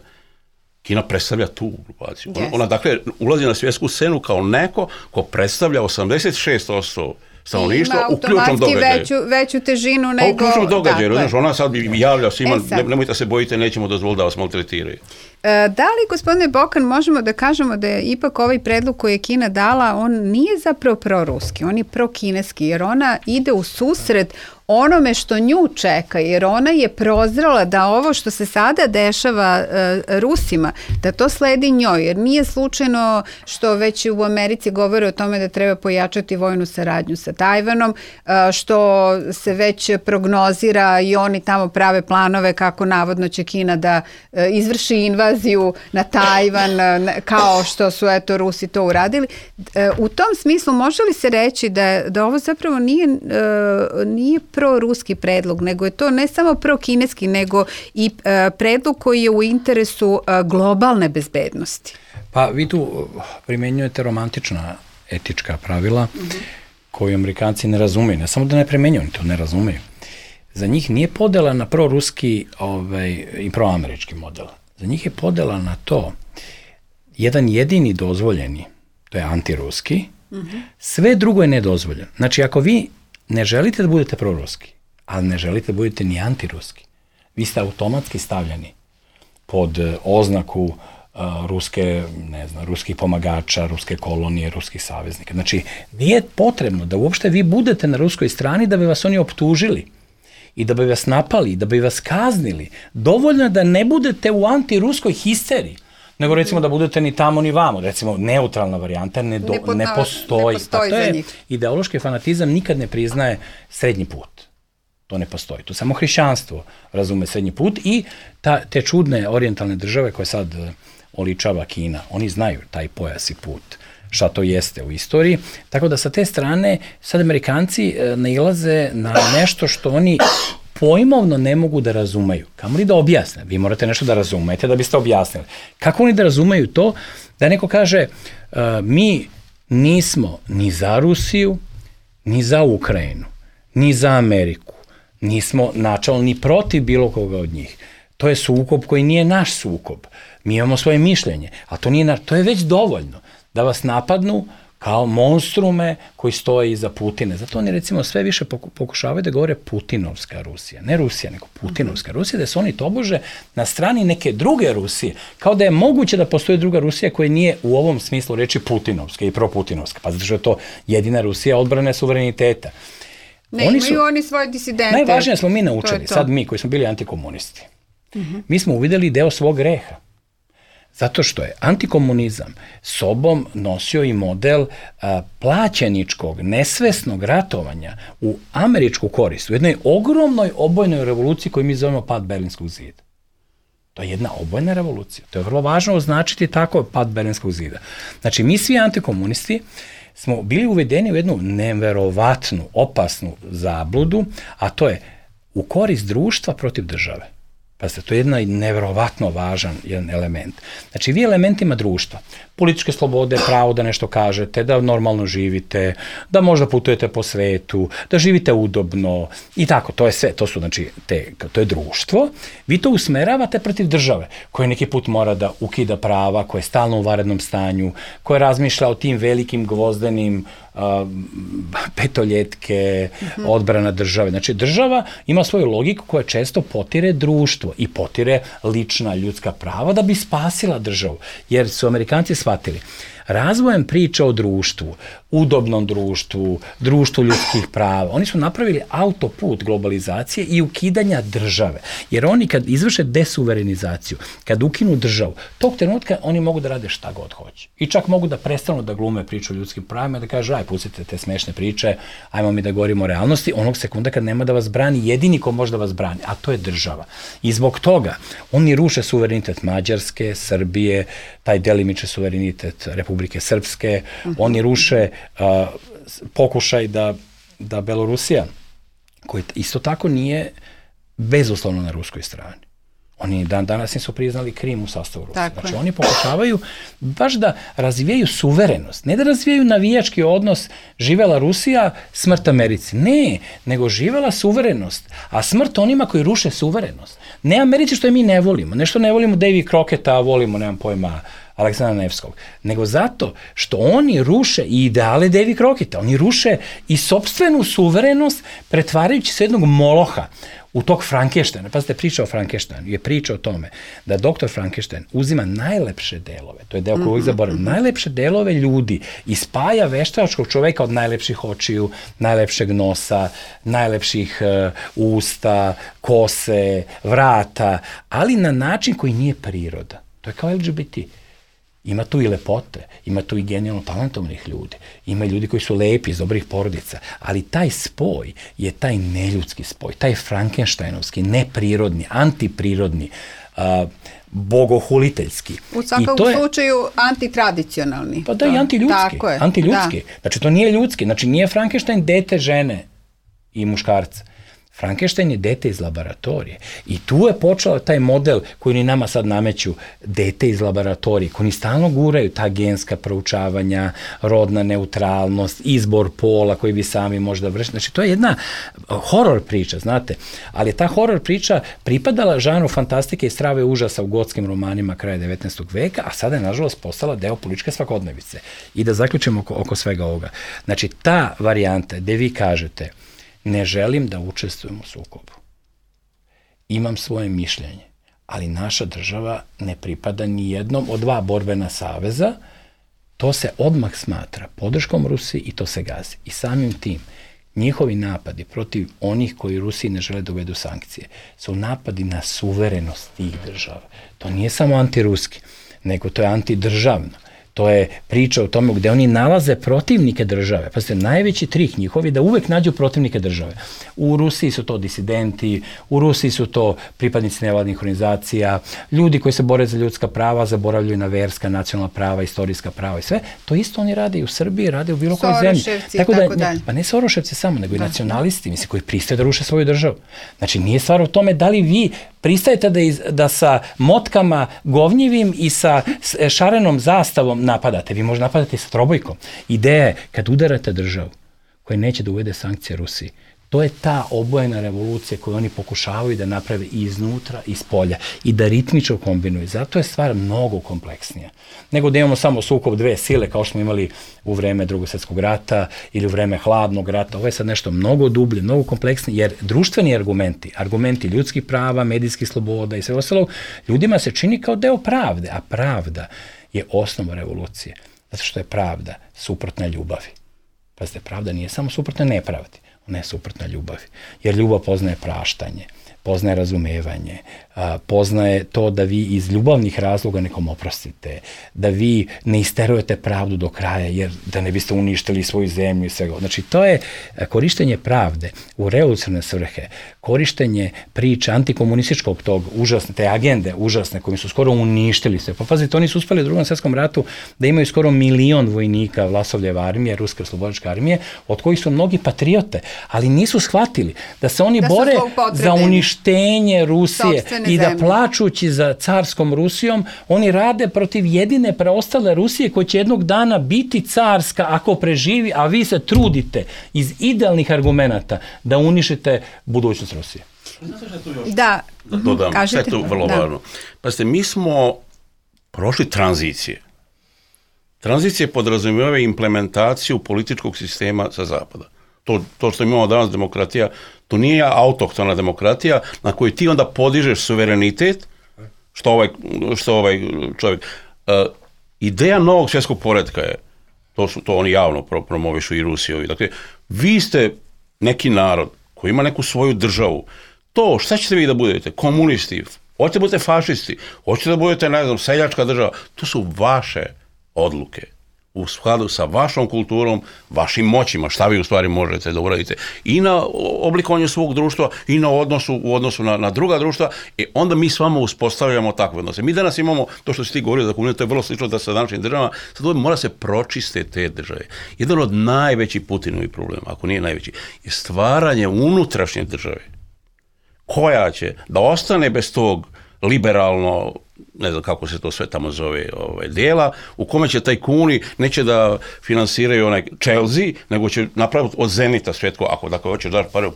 Kina predstavlja tu grupaciju. Ona, ona dakle ulazi na svjetsku scenu kao neko ko predstavlja osamdeset šest posto stanovništvo u ključnom događaju. Veću, veću težinu nego... U ključnom događaju, znaš, ona sad javlja svima, e ne, nemojte se bojite, nećemo dozvoliti da vas maltretiraju. E, da li, gospodine Bokan, možemo da kažemo da je ipak ovaj predlog koji je Kina dala, on nije zapravo proruski, on je prokineski, jer ona ide u susret onome što nju čeka, jer ona je prozrela da ovo što se sada dešava e, Rusima, da to sledi njoj, jer nije slučajno što već u Americi govore o tome da treba pojačati vojnu saradnju sa Tajvanom, e, što se već prognozira i oni tamo prave planove kako navodno će Kina da e, izvrši invaziju na Tajvan, e, kao što su eto Rusi to uradili. E, u tom smislu može li se reći da, da ovo zapravo nije, e, nije pro-ruski predlog, nego je to ne samo pro-kineski, nego i e, predlog koji je u interesu e, globalne bezbednosti. Pa vi tu primjenjujete romantična etička pravila mm-hmm. koju Amerikanci ne razumeju. Ne samo da ne primjenjuju, oni to ne razumeju. Za njih nije podela na pro-ruski ovaj, i pro-američki model. Za njih je podela na to jedan jedini dozvoljeni, to je antiruski, mm-hmm. sve drugo je nedozvoljeno. Znači, ako vi ne želite da budete proruski, ali ne želite da budete ni antiruski, vi ste automatski stavljeni pod oznaku uh, ruske, ne znam, ruskih pomagača, ruske kolonije, ruskih saveznika. Znači, nije potrebno da uopšte vi budete na ruskoj strani da bi vas oni optužili i da bi vas napali, da bi vas kaznili. Dovoljno je da ne budete u antiruskoj histeriji, nego recimo da budete ni tamo ni vamo, recimo neutralna varijanta ne, do, ne, podna, ne postoji. Ne postoji pa to je ideološki fanatizam nikad ne priznaje srednji put. To ne postoji. To samo hrišćanstvo razume srednji put i ta, te čudne orijentalne države koje sad oličava Kina, oni znaju taj pojas i put, šta to jeste u istoriji. Tako da sa te strane sad Amerikanci nailaze na nešto što oni pojmovno ne mogu da razumeju. Kamo li da objasne? Vi morate nešto da razumete da biste objasnili. Kako oni da razumeju to? Da neko kaže, uh, mi nismo ni za Rusiju, ni za Ukrajinu, ni za Ameriku. Nismo načalno ni protiv bilo koga od njih. To je sukob koji nije naš sukob. Mi imamo svoje mišljenje, a to nije naš, to je već dovoljno da vas napadnu kao monstrume koji stoje iza Putina. Zato oni recimo sve više pokušavaju da govore Putinovska Rusija. Ne Rusija, nego Putinovska Rusija, da se oni tobože na strani neke druge Rusije. Kao da je moguće da postoji druga Rusija koja nije u ovom smislu reči Putinovska i proputinovska. Pa zato što je to jedina Rusija odbrane suvereniteta. Ne, oni imaju su, oni svoje disidente. Najvažnije smo mi naučili, to to. sad mi koji smo bili antikomunisti. Uh-huh. Mi smo uvideli deo svog greha. Zato što je antikomunizam sobom nosio i model a, plaćeničkog, nesvesnog ratovanja u američku korist, u jednoj ogromnoj obojnoj revoluciji koju mi zovemo pad Berlinskog zida. To je jedna obojna revolucija. To je vrlo važno označiti tako pad Berlinskog zida. Znači, mi svi antikomunisti smo bili uvedeni u jednu neverovatnu, opasnu zabludu, a to je u korist društva protiv države. Pa se to je jedna neverovatno važan jedan element. Znači, vi elementima društva, političke slobode, pravo da nešto kažete, da normalno živite, da možda putujete po svetu, da živite udobno i tako, to je sve, to su, znači, te, to je društvo. Vi to usmeravate protiv države, koja neki put mora da ukida prava, koja je stalno u vanrednom stanju, koja razmišlja o tim velikim gvozdenim uh, petoljetke, mm-hmm. odbrana države. Znači, država ima svoju logiku koja često potire društvo i potire lična ljudska prava da bi spasila državu. Jer su Amerikanci shvatili, razvojem priča o društvu, udobnom društvu, društvu ljudskih prava, oni su napravili autoput globalizacije i ukidanja države. Jer oni kad izvrše desuverenizaciju, kad ukinu državu, tog trenutka oni mogu da rade šta god hoće. I čak mogu da prestanu da glume priču o ljudskim pravima, da kaže, aj, pustite te smešne priče, ajmo mi da govorimo o realnosti, onog sekunda kad nema da vas brani, jedini ko može da vas brani, a to je država. I zbog toga oni ruše suverenitet Mađarske, Srbije, taj delimični suverenitet Republike Srpske, uh-huh. oni ruše uh, pokušaj da, da Belorusija, koji isto tako nije bezuslovno na ruskoj strani. Oni dan danas nisu priznali Krim u sastavu Rusije. Tako znači, je. Oni pokušavaju baš da razvijaju suverenost. Ne da razvijaju navijački odnos živela Rusija, smrt Americi. Ne, nego živela suverenost. A smrt onima koji ruše suverenost. Ne Americi što je mi ne volimo. Nešto ne volimo Davy Crocketta, a volimo, nemam pojma, Aleksandra Nevskog. Nego zato što oni ruše i ideale Davy Crocketta. Oni ruše i sopstvenu suverenost pretvarajući se jednog moloha u tog Frankensteina. Pazite, priča o Frankensteinu je priča o tome da doktor Frankenstein uzima najlepše delove, to je deo koji uvijek zaboravim, najlepše delove ljudi i spaja veštačkog čoveka od najlepših očiju, najlepšeg nosa, najlepših uh, usta, kose, vrata, ali na način koji nije priroda. To je kao L G B T. Ima tu i lepote, ima tu i genijalno talentovnih ljudi, ima ljudi koji su lepi iz dobrih porodica, ali taj spoj je taj neljudski spoj, taj Frankensteinovski, neprirodni, antiprirodni, uh, bogohuliteljski. U svakom je, slučaju antitradicionalni. Pa da, i antiljudski. Antiljudski. Da. Znači, to nije ljudski. Znači, nije Frankenstein dete žene i muškarca. Frankenstein je dete iz laboratorije. I tu je počeo taj model koji ni nama sad nameću, dete iz laboratorije, koji ni stalno guraju ta genska proučavanja, rodna neutralnost, izbor pola koji vi sami možda vršite. Znači, to je jedna horor priča, znate. Ali ta horor priča pripadala žanru fantastike i strave užasa u gotskim romanima kraja devetnaestog veka, a sada je, nažalost, postala deo političke svakodnevice. I da zaključimo oko, oko svega ovoga. Znači, ta varijanta gde vi kažete ne želim da učestvujem u sukobu. Imam svoje mišljenje, ali naša država ne pripada ni jednom od dva borbena saveza, to se odmah smatra podrškom Rusiji i to se gazi. I samim tim, njihovi napadi protiv onih koji Rusiji ne žele da uvedu sankcije su napadi na suverenost tih država. To nije samo antiruski, nego to je antidržavno. To je priča o tome gde oni nalaze protivnike države. Pa ste najveći trik njihovi da uvek nađu protivnike države. U Rusiji su to disidenti, u Rusiji su to pripadnici nevladnih organizacija, ljudi koji se bore za ljudska prava, zaboravljaju na verska, nacionalna prava, istorijska prava i sve. To isto oni rade i u Srbiji, rade u bilo kojoj zemlji. Soroševci i tako, tako dalje. Pa ne Soroševci samo, nego i da. nacionalisti, mislim, koji pristaju da ruše svoju državu. Znači, nije stvar u tome da li vi pristajete da, iz, da sa motkama govnjivim i sa šarenom zastavom napadate. Vi možete napadati sa trobojkom. Ideja je, kad udarate državu koja neće da uvede sankcije Rusiji, to je ta obojena revolucija koju oni pokušavaju da naprave i iznutra i iz polja i da ritmično kombinuju. Zato je stvar mnogo kompleksnija. Nego da imamo samo sukob dve sile kao što smo imali u vreme Drugog svjetskog rata ili u vreme Hladnog rata. Ovo je sad nešto mnogo dublje, mnogo kompleksnije, jer društveni argumenti, argumenti ljudskih prava, medijskih sloboda i sve ostalo, ljudima se čini kao deo pravde, a pravda je osnova revolucije. Zato što je pravda suprotna ljubavi. Pazite, pravda nije samo suprotna nepravdi. Ona je suprotna ljubavi. Jer ljubav poznaje praštanje, poznaje razumevanje, poznaje to da vi iz ljubavnih razloga nekom oprostite, da vi ne isterujete pravdu do kraja, jer da ne biste uništili svoju zemlju i svega. Znači, to je korištenje pravde u revolucionarne svrhe, korištenje priče antikomunističkog tog užasne, te agende užasne kojim su skoro uništili sve. Pa pazite, oni su uspeli u Drugom svjetskom ratu da imaju skoro milion vojnika Vlasovljeve armije, Ruske oslobodilačke armije, od kojih su mnogi patriote, ali nisu shvatili da se oni da bore za uništenje Rusije i da zemlje. Plačući za carskom Rusijom, oni rade protiv jedine preostale Rusije koja će jednog dana biti carska ako preživi, a vi se trudite iz idealnih argumenata da uništite budućnost Rusije. Znate što je tu još? Da, da dodam, kažete. Sve je tu vrlo da. važno. Pazite, mi smo prošli tranzicije. Tranzicije podrazumijevaju implementaciju političkog sistema sa zapada. To, to što imamo danas demokratija, to nije autohtona demokratija na kojoj ti onda podižeš suverenitet, što ovaj, što ovaj čovjek. Uh, ideja novog svjetskog poretka je, to, su, to oni javno pro, promovišu i Rusijovi. Dakle, vi ste neki narod koji ima neku svoju državu. To, šta ćete vi da budete? Komunisti, hoćete da budete fašisti, hoćete da budete, ne znam, seljačka država. To su vaše odluke. U skladu sa vašom kulturom, vašim moćima, šta vi u stvari možete da uradite i na oblikovanju svog društva i na odnosu u odnosu na, na druga društva, i onda mi s vama uspostavljamo takve odnose. Mi danas imamo to što si ti govorio za komuniju, to je vrlo slično da sa današnjim državama, sad ovdje mora se pročiste te države. Jedan od najvećih Putinovih problema, ako nije najveći, je stvaranje unutrašnje države koja će da ostane bez tog liberalno, ne znam kako se to sve tamo zove, ovaj, dela, u kome će tajkuni neće da finansiraju onaj Chelsea, nego će napraviti od Zenita svetko, ako dakle hoćeš daš pare,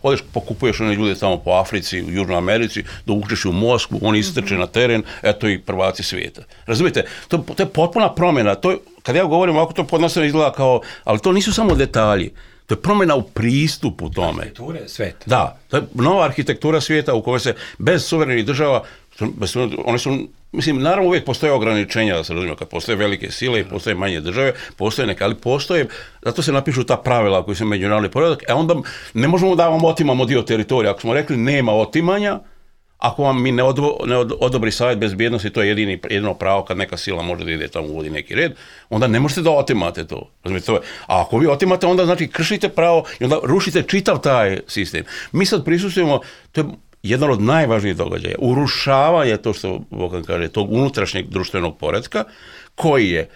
odeš pokupuješ one ljude tamo po Africi, u Južnoj Americi, da uključiš u Moskvu, oni istrče na teren, eto i prvaci svijeta. Razumijete, to, to je potpuna promjena, to je, kad ja govorim ovako, to podnosno izgleda kao, ali to nisu samo detalji. To je promjena u pristupu tome. Arhitekture sveta. Da, to je nova arhitektura svijeta u kojoj se bez suverenih država, bez, one su, mislim, naravno uvijek postoje ograničenja, da se razumije, kad postoje velike sile i postoje manje države, postoje neke, ali postoje, zato se napišu ta pravila koji su međunarodni poredak, a onda ne možemo da vam otimamo dio teritorija. Ako smo rekli nema otimanja, ako vam mi ne, odvo, ne od, odobri savjet bezbjednosti, to je jedini, jedino pravo kad neka sila može da ide tamo uvodi neki red, onda ne možete da otimate to. Razumijete, to je. A ako vi otimate, onda znači kršite pravo i onda rušite čitav taj sistem. Mi sad prisustujemo, to je jedan od najvažnijih događaja, urušavanje, to što Bokan kaže, tog unutrašnjeg društvenog poretka, koji je,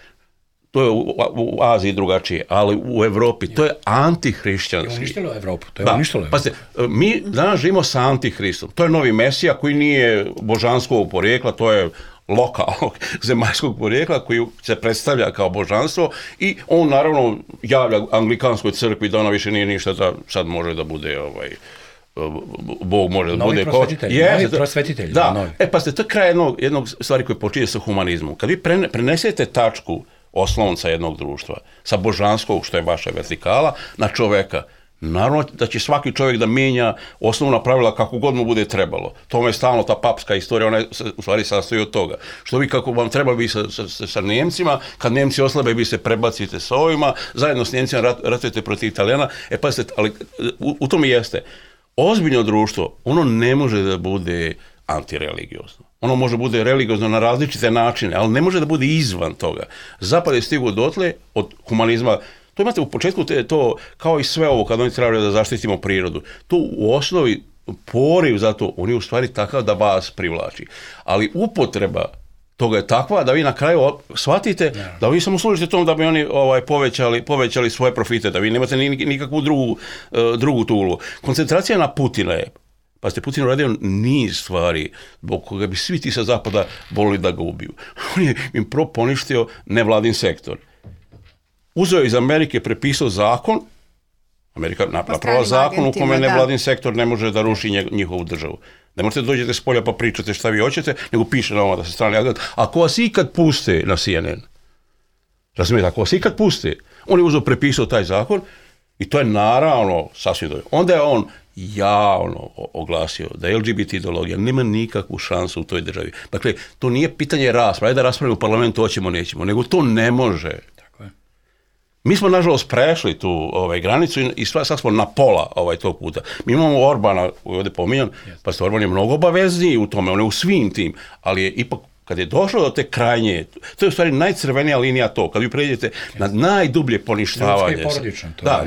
to je u, u Aziji drugačije, ali u Evropi, to je antihrišćanski. To je uništilo Evropu, to je da, uništilo Evropu. Pazite, mi danas živimo sa antihristom. To je novi Mesija koji nije božanskog porijekla, to je lokalnog zemaljskog porijekla koji se predstavlja kao božanstvo i on naravno javlja anglikanskoj crkvi da ona više nije ništa, da sad može da bude ovaj Bog može da novi bude prosvetitelj, yes, novi prosvetitelj. Da, novi. E pa ste, to je kraj jednog, jednog stvari koje počinje sa humanizmom. Kad vi prene, prenesete tačku oslonca jednog društva sa božanskog, što je vaša vertikala, na čoveka, naravno da će svaki čovjek da mijenja osnovna pravila kako god mu bude trebalo. To je stalno ta papska istorija, ona se u stvari sastoji od toga. Što vi kako vam treba vi sa, sa, sa Njemcima, kad Njemci oslabe vi se prebacite sa ovima, zajedno s Njemcima rat, ratujete protiv Italijana, e pa ste, ali u, u tom i jeste. Ozbiljno društvo, ono ne može da bude antireligiozno. Ono može bude religiozno na različite načine, ali ne može da bude izvan toga. Zapad je stigao dotle od humanizma. To imate u početku, te, to kao i sve ovo, kad oni trebaju da zaštitimo prirodu. To u osnovi poriv za to, on je u stvari takav da vas privlači. Ali upotreba toga je takva da vi na kraju shvatite da vi samo služite tom da bi oni ovaj, povećali, povećali svoje profite, da vi nemate nikakvu drugu, drugu tulu. Koncentracija na Putina je, pa ste Putin uradio niz stvari zbog koga bi svi ti sa zapada volili da ga ubiju. On je im pro poništio nevladin sektor. Uzeo iz Amerike, prepisao zakon, Amerika napravila zakon u kome nevladin sektor ne može da ruši njihovu državu. Ne možete dođete s polja pa pričate šta vi hoćete, nego piše na ovo da se strani agent. Ako vas ikad puste na C N N, razumijete, ako vas ikad puste, on je uzeo, prepisao taj zakon i to je naravno sasvim dobro. Onda je on javno oglasio da L G B T ideologija nema nikakvu šansu u toj državi. Dakle, to nije pitanje rasprave, da raspravimo u parlamentu, hoćemo, nećemo, nego to ne može. Mi smo, nažalost, prešli tu ovaj, granicu i sad smo na pola ovaj, tog puta. Mi imamo Orbana, koji je ovdje pominjan, pa ste Orban je mnogo obavezniji u tome, on je u svim tim, ali je ipak, kad je došlo do te krajnje, to je u stvari najcrvenija linija to, kad vi pređete na najdublje poništavanje. Ljudski i porodično. To da,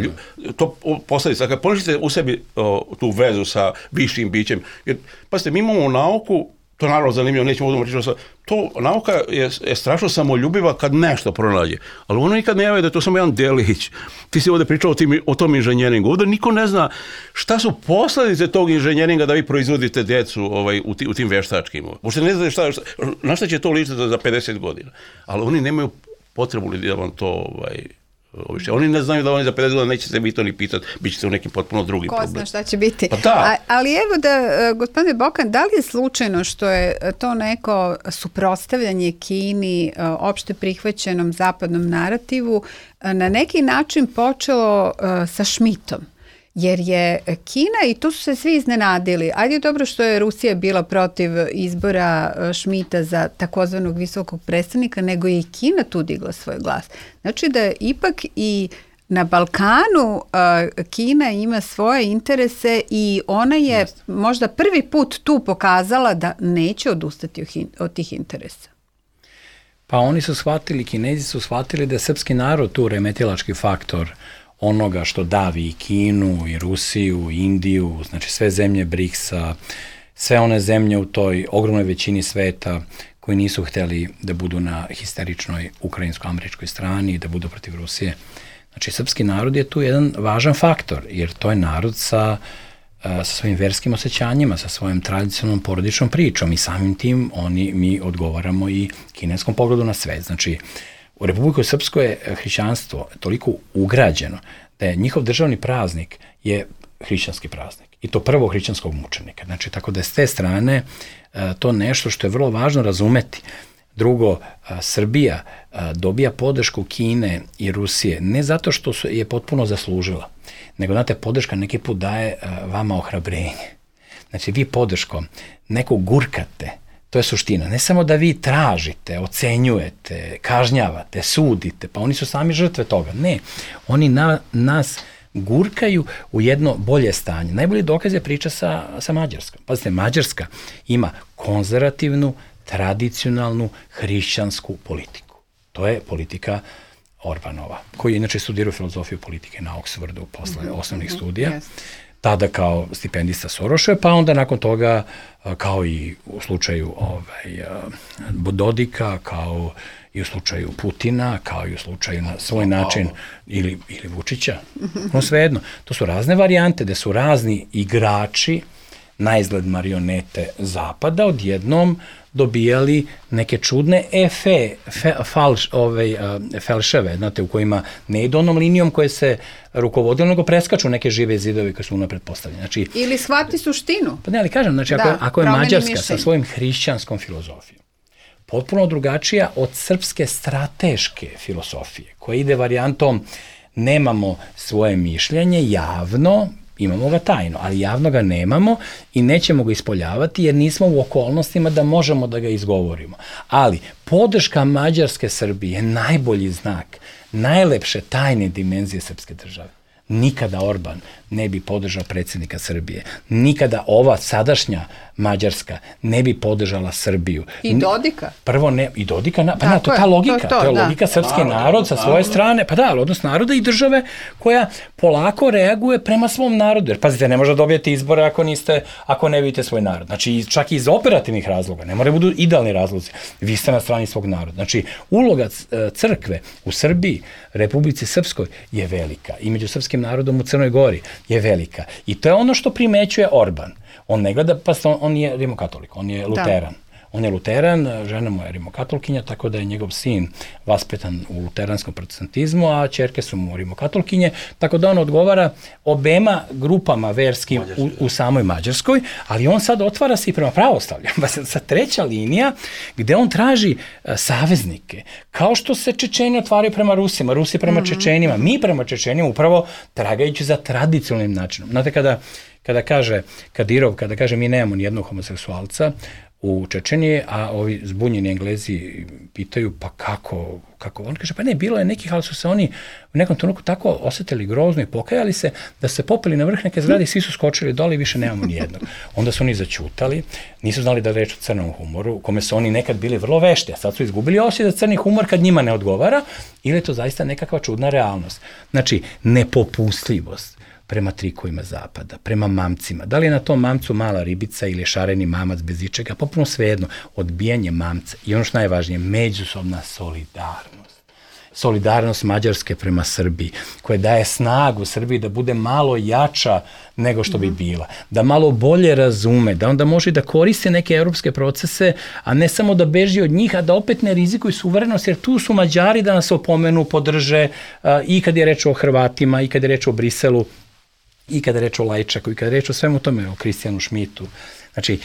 to posljedica. Kad poništite u sebi o, tu vezu sa višim bićem, jer, pazite, mi imamo nauku, to je naravno zanimljivo, nećemo odmah pričati, to nauka je, je strašno samoljubiva kad nešto pronađe, ali ono nikad ne javlja da je to samo jedan delić. Ti si ovdje pričao o, tim, o tom inženjeringu, ovdje niko ne zna šta su posljedice tog inženjeringa da vi proizvodite djecu ovaj, u, ti, u tim veštačkim. Možete ne znate šta, šta, na šta će to ličiti za pedeset godina, ali oni nemaju potrebu da vam to... Ovaj, oni ne znaju da oni za pedeset godina neće se vi to ni pitati, bit ćete u nekim potpuno drugim Ko problemima. zna šta će biti. Pa da. A, ali evo da, gospodine Bokan, da li je slučajno što je to neko suprotstavljanje Kini opšte prihvaćenom zapadnom narativu na neki način počelo sa Schmidtom? Jer je Kina, i tu su se svi iznenadili, ajde dobro što je Rusija bila protiv izbora Schmidta za takozvanog visokog predstavnika, nego je i Kina tu digla svoj glas. Znači da je ipak i na Balkanu uh, Kina ima svoje interese i ona je možda prvi put tu pokazala da neće odustati od tih interesa. Pa oni su shvatili, Kinezi su shvatili da je srpski narod tu remetilački faktor onoga što davi i Kinu, i Rusiju, i Indiju, znači sve zemlje briksa, sve one zemlje u toj ogromnoj većini sveta koji nisu htjeli da budu na histeričnoj ukrajinsko-američkoj strani, da budu protiv Rusije. Znači, srpski narod je tu jedan važan faktor, jer to je narod sa, sa svojim verskim osjećanjima, sa svojom tradicionalnom porodičnom pričom i samim tim oni, mi odgovaramo i kineskom pogledu na svet. Znači, u Republiku Srpsku je hrišćanstvo toliko ugrađeno da je njihov državni praznik je hrišćanski praznik. I to prvo hrišćanskog mučenika. Znači, tako da je s te strane to nešto što je vrlo važno razumeti. Drugo, Srbija dobija podršku Kine i Rusije ne zato što je potpuno zaslužila, nego, znate, podrška neki put daje vama ohrabrenje. Znači, vi podrškom nekog gurkate. To je suština. Ne samo da vi tražite, ocenjujete, kažnjavate, sudite, pa oni su sami žrtve toga. Ne, oni na, nas gurkaju u jedno bolje stanje. Najbolji dokaz je priča sa, sa Mađarskom. Pazite, Mađarska ima konzervativnu, tradicionalnu, hrišćansku politiku. To je politika Orbanova, koji je inače studirao filozofiju politike na Oxfordu posle mm-hmm. osnovnih studija. Yes. Tada kao stipendista Soroša, pa onda nakon toga, kao i u slučaju ovaj, Dodika, kao i u slučaju Putina, kao i u slučaju na svoj način, ili, ili Vučića, no svejedno. To su razne varijante, gde su razni igrači, na izgled marionete Zapada, odjednom dobijali neke čudne efe, fe, falš, ovaj, felševe, znate, u kojima ne idu onom linijom koje se rukovodilo, nego preskaču neke žive zidovi koje su unapred postavljeni. Znači, ili shvati suštinu. Pa ne, ali kažem, znači, da, ako, ako je Mađarska mišljenje sa svojim hrišćanskom filozofijom potpuno drugačija od srpske strateške filosofije, koja ide varijantom nemamo svoje mišljenje javno, imamo ga tajno, ali javno ga nemamo i nećemo ga ispoljavati jer nismo u okolnostima da možemo da ga izgovorimo. Ali podrška Mađarske Srbije je najbolji znak, najlepše tajne dimenzije srpske države. Nikada Orban ne bi podržao predsjednika Srbije. Nikada ova sadašnja Mađarska ne bi podržala Srbiju. I Dodika. Prvo ne, i Dodika, na, pa na, to je ta logika, to, to, to je da. logika srpski narod, narod sa svoje strane, pa da, odnos naroda i države koja polako reaguje prema svom narodu. Jer pazite, ne može dobijeti izbore ako niste, ako ne vidite svoj narod. Znači, čak i iz operativnih razloga, ne moraju budu idealni razlozi. Vi ste na strani svog naroda. Znači, uloga crkve u Srbiji, Republici Srpskoj je velika. I među srpskim narodom u Crnoj Gori je velika. I to je ono što primećuje Orban. On ne gleda, pa on, on je rimokatolik, on je luteran. Da. On je luteran, žena mu je rimokatolkinja, tako da je njegov sin vaspetan u luteranskom protestantizmu, a ćerke su mu rimokatolkinje, tako da on odgovara obema grupama verskim u, u samoj Mađarskoj, ali on sad otvara se i prema pravoslavlju. Sa treća linija gde on traži uh, saveznike, kao što se Čečeni otvaraju prema Rusima, Rusi prema mm-hmm. Čečenima, mi prema Čečenima upravo tragajući za tradicionalnim načinom. Znate, kada, kada kaže Kadirov, kada kaže mi nemamo nijednog homoseksualca u Čečeniji, a ovi zbunjeni Englezi pitaju pa kako, kako? On kaže pa ne, bilo je nekih, ali su se oni u nekom trenutku tako osetili grozno i pokajali se da se popeli na vrh neke zgrade i svi su skočili dole i više nemamo nijednog. Onda su oni začutali, nisu znali da je reč o crnom humoru, u kome su oni nekad bili vrlo vešti, a sad su izgubili osjećaj za crni humor kad njima ne odgovara, ili je to zaista nekakva čudna realnost. Znači, nepopustljivost prema trikovima zapada, prema mamcima. Da li je na tom mamcu mala ribica ili šareni mamac bez ičega, popuno svejedno, odbijanje mamca i ono što najvažnije, međusobna solidarnost. Solidarnost Mađarske prema Srbiji, koja daje snagu Srbiji da bude malo jača nego što bi bila, da malo bolje razume, da onda može da koriste neke evropske procese, a ne samo da beži od njih, a da opet ne rizikuju suverenost, jer tu su Mađari da nas opomenu, podrže, a, i kad je reč o Hrvatima, i kad je reč o Briselu, i kada je reč o Lajčaku, i kada je reč o svemu tome, o Kristijanu Šmitu. Znači,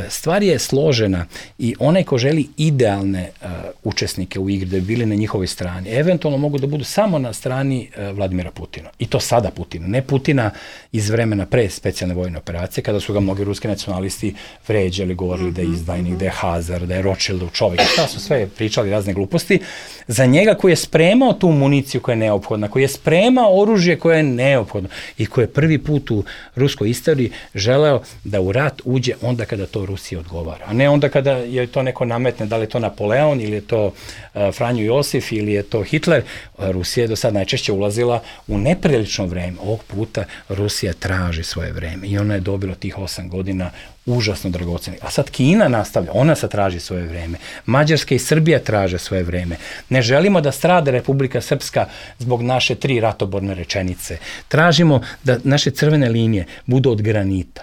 stvar je složena i onaj ko želi idealne uh, učesnike u igri da bi bili na njihovoj strani, eventualno mogu da budu samo na strani uh, Vladimira Putina. I to sada Putina. Ne Putina iz vremena pre specijalne vojne operacije, kada su ga mnogi ruski nacionalisti vređali, govorili mm-hmm. da je izdajnik, da je Hazar, da je Rothschildov čovjek. Šta su sve pričali razne gluposti. Za njega koji je spremao tu municiju koja je neophodna, koji je spremao oružje koje je neophodno i koji je prvi put u ruskoj istoriji želeo da u rat uđe onda kada to Rusiji odgovara, a ne onda kada je to neko nametne, da li je to Napoleon ili je to uh, Franjo Josif ili je to Hitler. Rusija je do sad najčešće ulazila u neprilično vreme. Ovog puta Rusija traži svoje vreme i ona je dobila tih osam godina užasno dragocenih. A sad Kina nastavlja, ona sad traži svoje vreme. Mađarska i Srbija traže svoje vreme. Ne želimo da strada Republika Srpska zbog naše tri ratoborne rečenice. Tražimo da naše crvene linije budu od granita.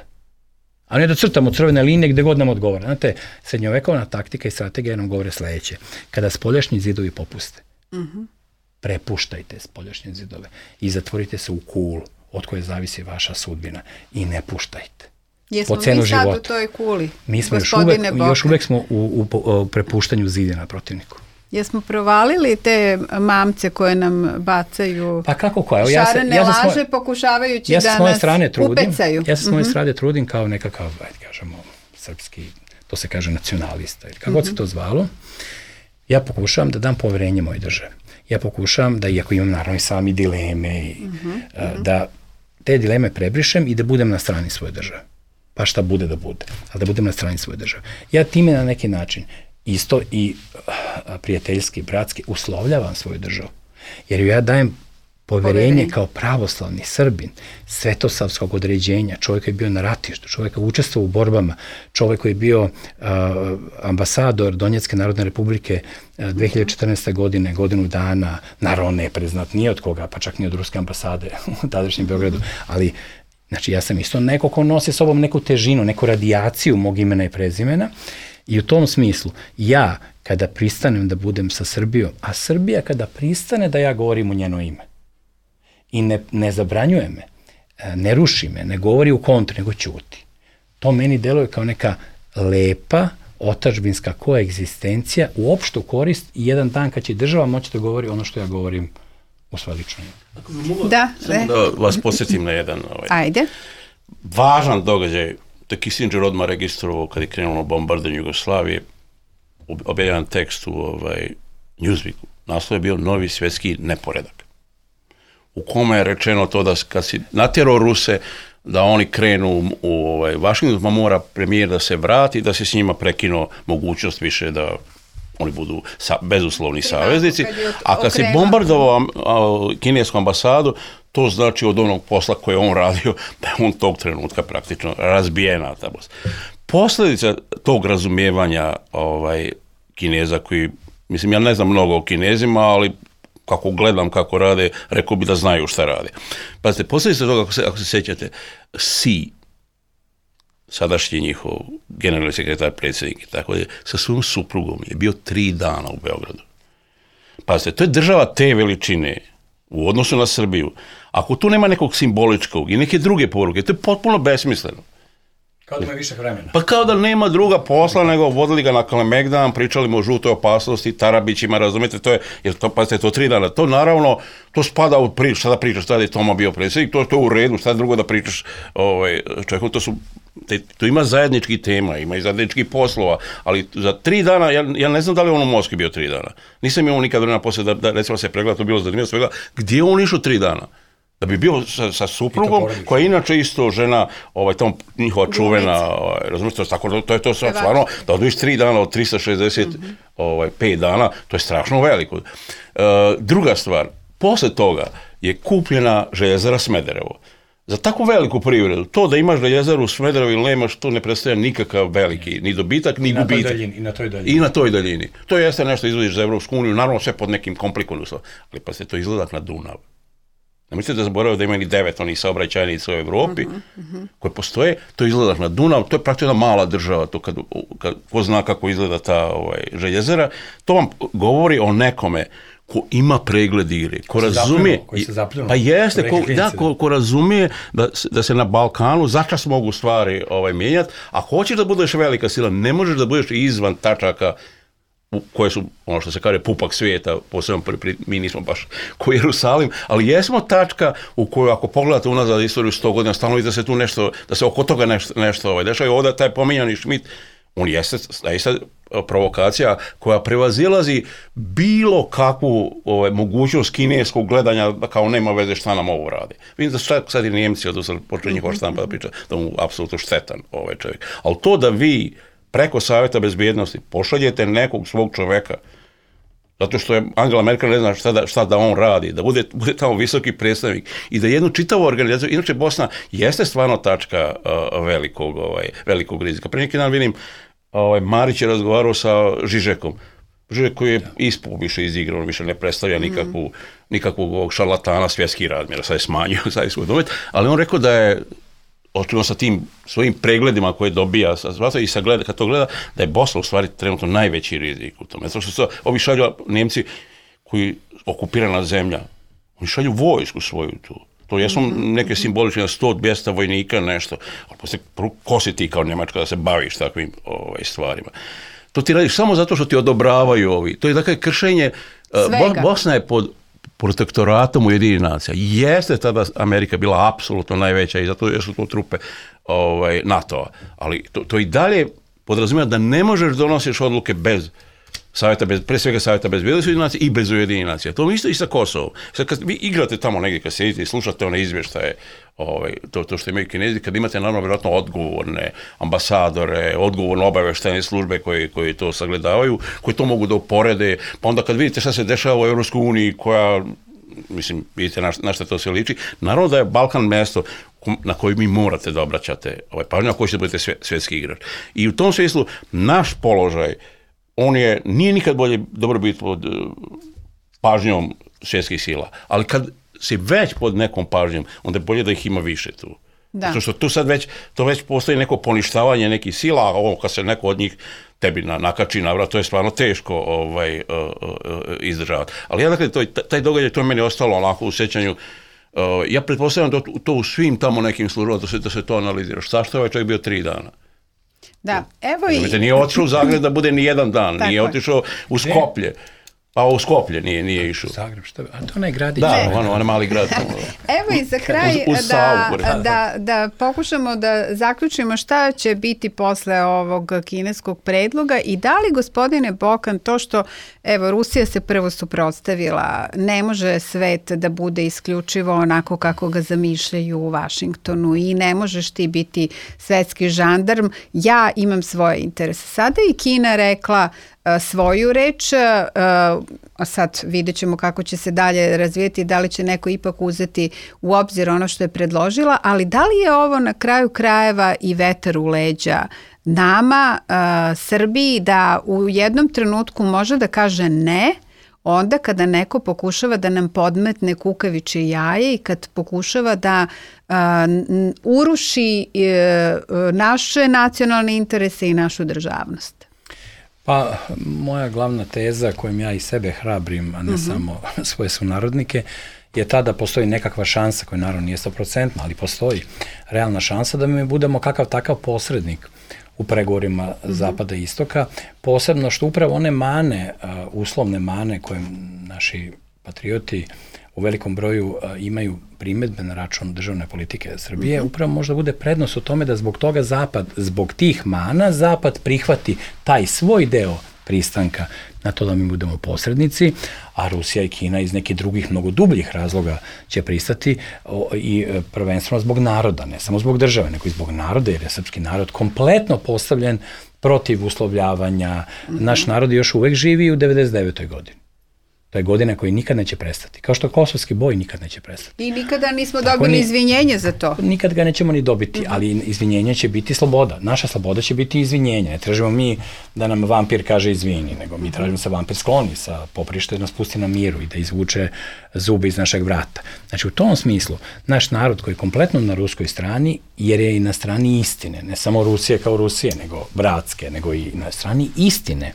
A ne da crtamo crvene linije gde god nam odgovara. Znate, srednjovekovna taktika i strategija nam govore sledeće. Kada spoljašnji zidovi popuste, uh-huh. prepuštajte spoljašnje zidove i zatvorite se u kulu od koje zavisi vaša sudbina i ne puštajte. Jesmo mi sad života. U toj kuli, mi smo još uvek, još uvek smo u, u, u prepuštanju zidina protivniku. Jesmo provalili te mamce koje nam bacaju pa kako koja? Ja šarene ja laže svoje, pokušavajući ja da nas trudim, upecaju. Ja sa svoje mm-hmm. strane trudim kao nekakav, ajde kažemo, srpski, to se kaže nacionalista, ili kako mm-hmm. se to zvalo. Ja pokušavam da dam poverenje mojoj državi. Ja pokušavam da, iako imam naravno i sami dileme, i, mm-hmm. uh, da te dileme prebrišem i da budem na strani svoje države. Pa šta bude da bude, ali da budem na strani svoje države. Ja time na neki način isto i prijateljski, bratski, uslovljavam svoju državu. Jer ja dajem poverenje kao pravoslavni Srbin, svetosavskog određenja, čovjek koji je bio na ratištu, čovjek koji je učestvovao u borbama, čovjek koji je bio uh, ambasador Donjecke Narodne Republike uh, dve hiljade četrnaeste. godine, godinu dana, naravno ne priznat ni od koga, pa čak ni od ruske ambasade u tadašnjem Beogradu, ali znači ja sam isto neko ko nosi sobom neku težinu, neku radijaciju mog imena i prezimena. I u tom smislu, ja kada pristanem da budem sa Srbijom, a Srbija kada pristane da ja govorim u njeno ime i ne, ne zabranjuje me, ne ruši me, ne govori u kontru, nego ćuti. To meni deluje kao neka lepa otadžbinska koegzistencija u opštu korist i jedan dan kad će država moći da govori ono što ja govorim u svoje lično ime. Da, samo da vas podsjetim na jedan ovaj, Ajde. važan događaj. To je Kissinger odmah registrovao kad je krenulo bombardanje Jugoslavije, objavljan tekst u ovaj, Newsweeku. Naslov je bio Novi svjetski neporedak, u kome je rečeno to da kad si natjerao Ruse da oni krenu u ovaj, Vašington, pa mora premijer da se vrati, da se s njima prekino mogućnost više da oni budu sa, bezuslovni saveznici. A kad se bombardovao kinesku ambasadu, to znači od onog posla koje on radio, da je on tog trenutka praktično razbijena. Posljedica tog razumijevanja ovaj, Kineza koji, mislim, ja ne znam mnogo o Kinezima, ali kako gledam kako rade, rekao bi da znaju šta rade. Pazite, posljedica toga, ako se, ako se sjećate, Xi, sadašnji njihov generalni sekretar, predsjednik i tako je, sa svojom suprugom je bio tri dana u Beogradu. Pazite, to je država te veličine u odnosu na Srbiju. Ako tu nema nekog simboličkog i neke druge poruke, to je potpuno besmisleno. Kao da ima više vremena. Pa kao da nema druga posla, nego vodili ga na Kalemegdan, pričali mu o žutoj opasnosti, Tarabićima, razumijete, to je, jer to, pazite, to tri dana, to naravno, to spada u priču, šta da pričaš, tada je Toma bio predsjednik, to, to je u redu, šta drugo da pričaš, ovaj, čovjeku, to su, te, to ima zajednički tema, ima i zajedničkih poslova, ali za tri dana, ja, ja ne znam da li on u Moskvi bio tri dana, nisam imao nikad vremena poslije da, da recimo se pregleda, to bilo zanimljivo svega, gdje on išao tri dana? Da bi bio sa, sa suprugom, koja je inače isto žena, ovaj, tamo njihova čuvena, ovaj, razumijete, tako, to je to stvarno, da odviš tri dana od tristo šezdeset mm-hmm. ovaj, pet dana, to je strašno veliko. Uh, druga stvar, posle toga je kupljena željezara Smederevo. Za tako veliku privredu, to da imaš željezaru u Smederevu ili nemaš, to ne predstavlja nikakav veliki, ni dobitak, ni gubitak. I na toj daljini. I na toj daljini. To jeste nešto izvodiš za Evropsku uniju, naravno sve pod nekim komplikovanim uslovom, ali pa se to izgledak na Dunav. Ne mislite da zaboravio da ima ni devet onih saobraćajnica u Evropi uh-huh, uh-huh. koje postoje, to izgleda na Dunav, to je praktično jedna mala država, to kad, kad ko zna kako izgleda ta ovaj, željezara, to vam govori o nekome ko ima pregled igre, ko razumije, koji se zapljuno, pa jeste, ko, da, ko, ko razumije da, da se na Balkanu začas mogu stvari ovaj, mijenjati, a hoćeš da budeš velika sila, ne možeš da budeš izvan tačaka koje su, ono što se kaže, pupak svijeta, posebno mi nismo baš ko Jerusalim, ali jesmo tačka u kojoj ako pogledate unazad istoriju sto godina, stalno vidite da se tu nešto, da se oko toga nešto, nešto ovaj, dešava i ovdje taj pominjani Schmidt, on jeste, jeste provokacija koja prevazilazi bilo kakvu ovaj, mogućnost kineskog gledanja da kao nema veze šta nam ovo radi. Vidim da su sad i Njemci odnosno počeli njihova štampa da priča da mu apsolutno štetan ovaj čovjek. Ali to da vi preko Savjeta bezbjednosti pošaljete nekog svog čoveka, zato što je Angela Merkel ne zna šta da, šta da on radi, da bude, bude tamo visoki predstavnik i da jednu čitavu organizaciju, inače Bosna jeste stvarno tačka uh, velikog, ovaj, velikog rizika. Pre neki dan vidim, ovaj, Marić je razgovarao sa Žižekom, Žižek koji je ispao više izigrano, više ne predstavlja nikakvu, mm. nikakvog šarlatana svjetskih razmjera, sad je smanjio, sad je svoj domet, ali on rekao da je očigledno sa tim svojim pregledima koje dobija i sa gleda, kad to gleda, da je Bosna u stvari trenutno najveći rizik u tome. Zato što su ovi šalju Njemci koji okupirana zemlja, oni šalju vojsku svoju tu. To jesu neke simbolične sto dvjesto vojnika, nešto, ali poslije ko si ti kao Njemačka da se baviš takvim ovaj, stvarima. To ti radiš samo zato što ti odobravaju ovi. To je dakle kršenje, Svega. Bosna je pod protektoratom Ujedinjenih nacija. Jeste tada Amerika bila apsolutno najveća i zato su to trupe ovaj, NATO-a. Ali to, to i dalje podrazumijeva da ne možeš donosiš odluke bez savjeta, bez, pre svega Savjeta bezbjednosti Ujedinjenih nacija i bez Ujedinjenih nacija. To isto i sa Kosovom. Sad kad vi igrate tamo negdje, kad sedite i slušate one izvještaje, ovaj, to, to što imaju Kinezi, kad imate naravno vjerojatno odgovorne ambasadore, odgovorne obavještajne službe koje, koje to sagledavaju, koji to mogu da uporede, pa onda kad vidite šta se dešava u Europskoj uniji koja, mislim, vidite na, na šta to sve liči, naravno da je Balkan mjesto na koji mi morate da obraćate ovaj, pažnju, ako ćete budete svje, svjetski igrač. I u tom smislu naš položaj, on je, nije nikad bolje dobro biti pod uh, pažnjom svjetskih sila, ali kad si već pod nekom pažnjom, onda je bolje da ih ima više tu. Da. Zato što tu sad već, to već postoji neko poništavanje nekih sila, a ovo kad se neko od njih tebi na, nakači na vrat, to je stvarno teško ovaj, uh, uh, izdržavati. Ali ja dakle, to, taj događaj, to je meni ostalo onako u sjećanju. Uh, ja pretpostavljam da to, to u svim tamo nekim službama da se, da se to analizira. Šta što je ovaj čovjek bio tri dana? Da, evo i... Znate, nije otišao u Zagreb da bude ni jedan dan, nije otišao u Skoplje. Pa u Skoplje nije, nije išao. Zagreb, što? A to onaj gradić. Da, ono, ono mali grad. Evo i za kraj uz, uz da, Savu, da, da pokušamo da zaključimo šta će biti posle ovog kineskog predloga i da li, gospodine Bokan, to što, evo, Rusija se prvo suprotstavila, ne može svet da bude isključivo onako kako ga zamišljaju u Vašingtonu i ne možeš ti biti svetski žandarm, ja imam svoje interese. Sada i Kina rekla svoju reč, a sad vidjet ćemo kako će se dalje razvijeti, da li će neko ipak uzeti u obzir ono što je predložila, ali da li je ovo na kraju krajeva i vetar u leđa nama, Srbiji, da u jednom trenutku može da kaže ne, onda kada neko pokušava da nam podmetne kukavičje jaje i kad pokušava da uh, uruši uh, naše nacionalne interese i našu državnost. Pa, moja glavna teza kojom ja i sebe hrabrim, a ne uh-huh. samo svoje sunarodnike, je ta da postoji nekakva šansa, koja naravno nije sto procentna, ali postoji realna šansa da mi budemo kakav takav posrednik u pregovorima uh-huh. Zapada i Istoka, posebno što upravo one mane, uh, uslovne mane koje naši patrioti u velikom broju uh, imaju primedbe na račun državne politike Srbije, uh-huh. upravo možda bude prednost u tome da zbog toga Zapad, zbog tih mana, Zapad prihvati taj svoj deo pristanka na to da mi budemo posrednici, a Rusija i Kina iz nekih drugih, mnogo dubljih razloga će pristati o, i prvenstveno zbog naroda, ne samo zbog države, nego i zbog naroda, jer je srpski narod kompletno postavljen protiv uslovljavanja. Mm-hmm. Naš narod još uvek živi u devedeset devetoj godini. To je godina koja nikad neće prestati. Kao što kosovski boj nikad neće prestati. I nikada nismo Tako dobili ni, izvinjenje za to. Nikad ga nećemo ni dobiti, uh-huh. ali izvinjenje će biti sloboda. Naša sloboda će biti izvinjenje. Ne tražimo mi da nam vampir kaže izvini, nego mi tražimo se vampir skloni sa poprišta da nas pusti na miru i da izvuče zube iz našeg vrata. Znači u tom smislu, naš narod koji je kompletno na ruskoj strani, jer je i na strani istine, ne samo Rusije kao Rusije, nego bratske, nego i na strani istine,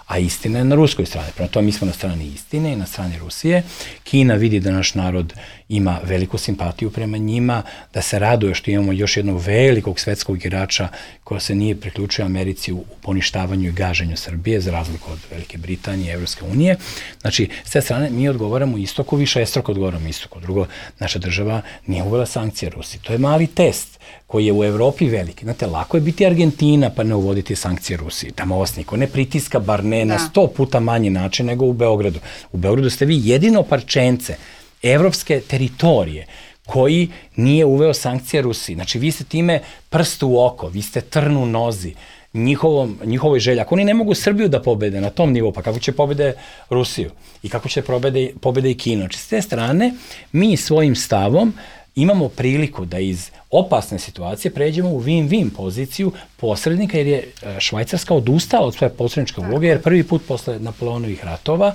a istina je na ruskoj strani. Prema tome mi smo na strani istine i na strani Rusije. Kina vidi da naš narod ima veliku simpatiju prema njima, da se raduje što imamo još jednog velikog svetskog igrača koja se nije priključio Americi u poništavanju i gaženju Srbije, za razliku od Velike Britanije i Evropske unije. Znači, s te strane mi odgovaramo istoku, više estroko odgovaramo istoku. Drugo, naša država nije uvela sankcije Rusiji. To je mali test koji je u Evropi veliki. Znate, lako je biti Argentina pa ne uvoditi sankcije Rusiji. Tamo vas niko ne pritiska, bar ne na sto puta manji način nego u Beogradu. U Beogradu ste vi jedino parčence evropske teritorije koji nije uveo sankcije Rusiji. Znači, vi ste time prst u oko, vi ste trn u nozi njihovom, njihovoj želji. Ako oni ne mogu Srbiju da pobede na tom nivou, pa kako će pobede Rusiju i kako će pobede, pobede i Kinu. Znači, s te strane, mi svojim stavom imamo priliku da iz opasne situacije pređemo u win-win poziciju posrednika, jer je Švajcarska odustala od svoje posredničke uloge, jer prvi put posle Napoleonovih ratova,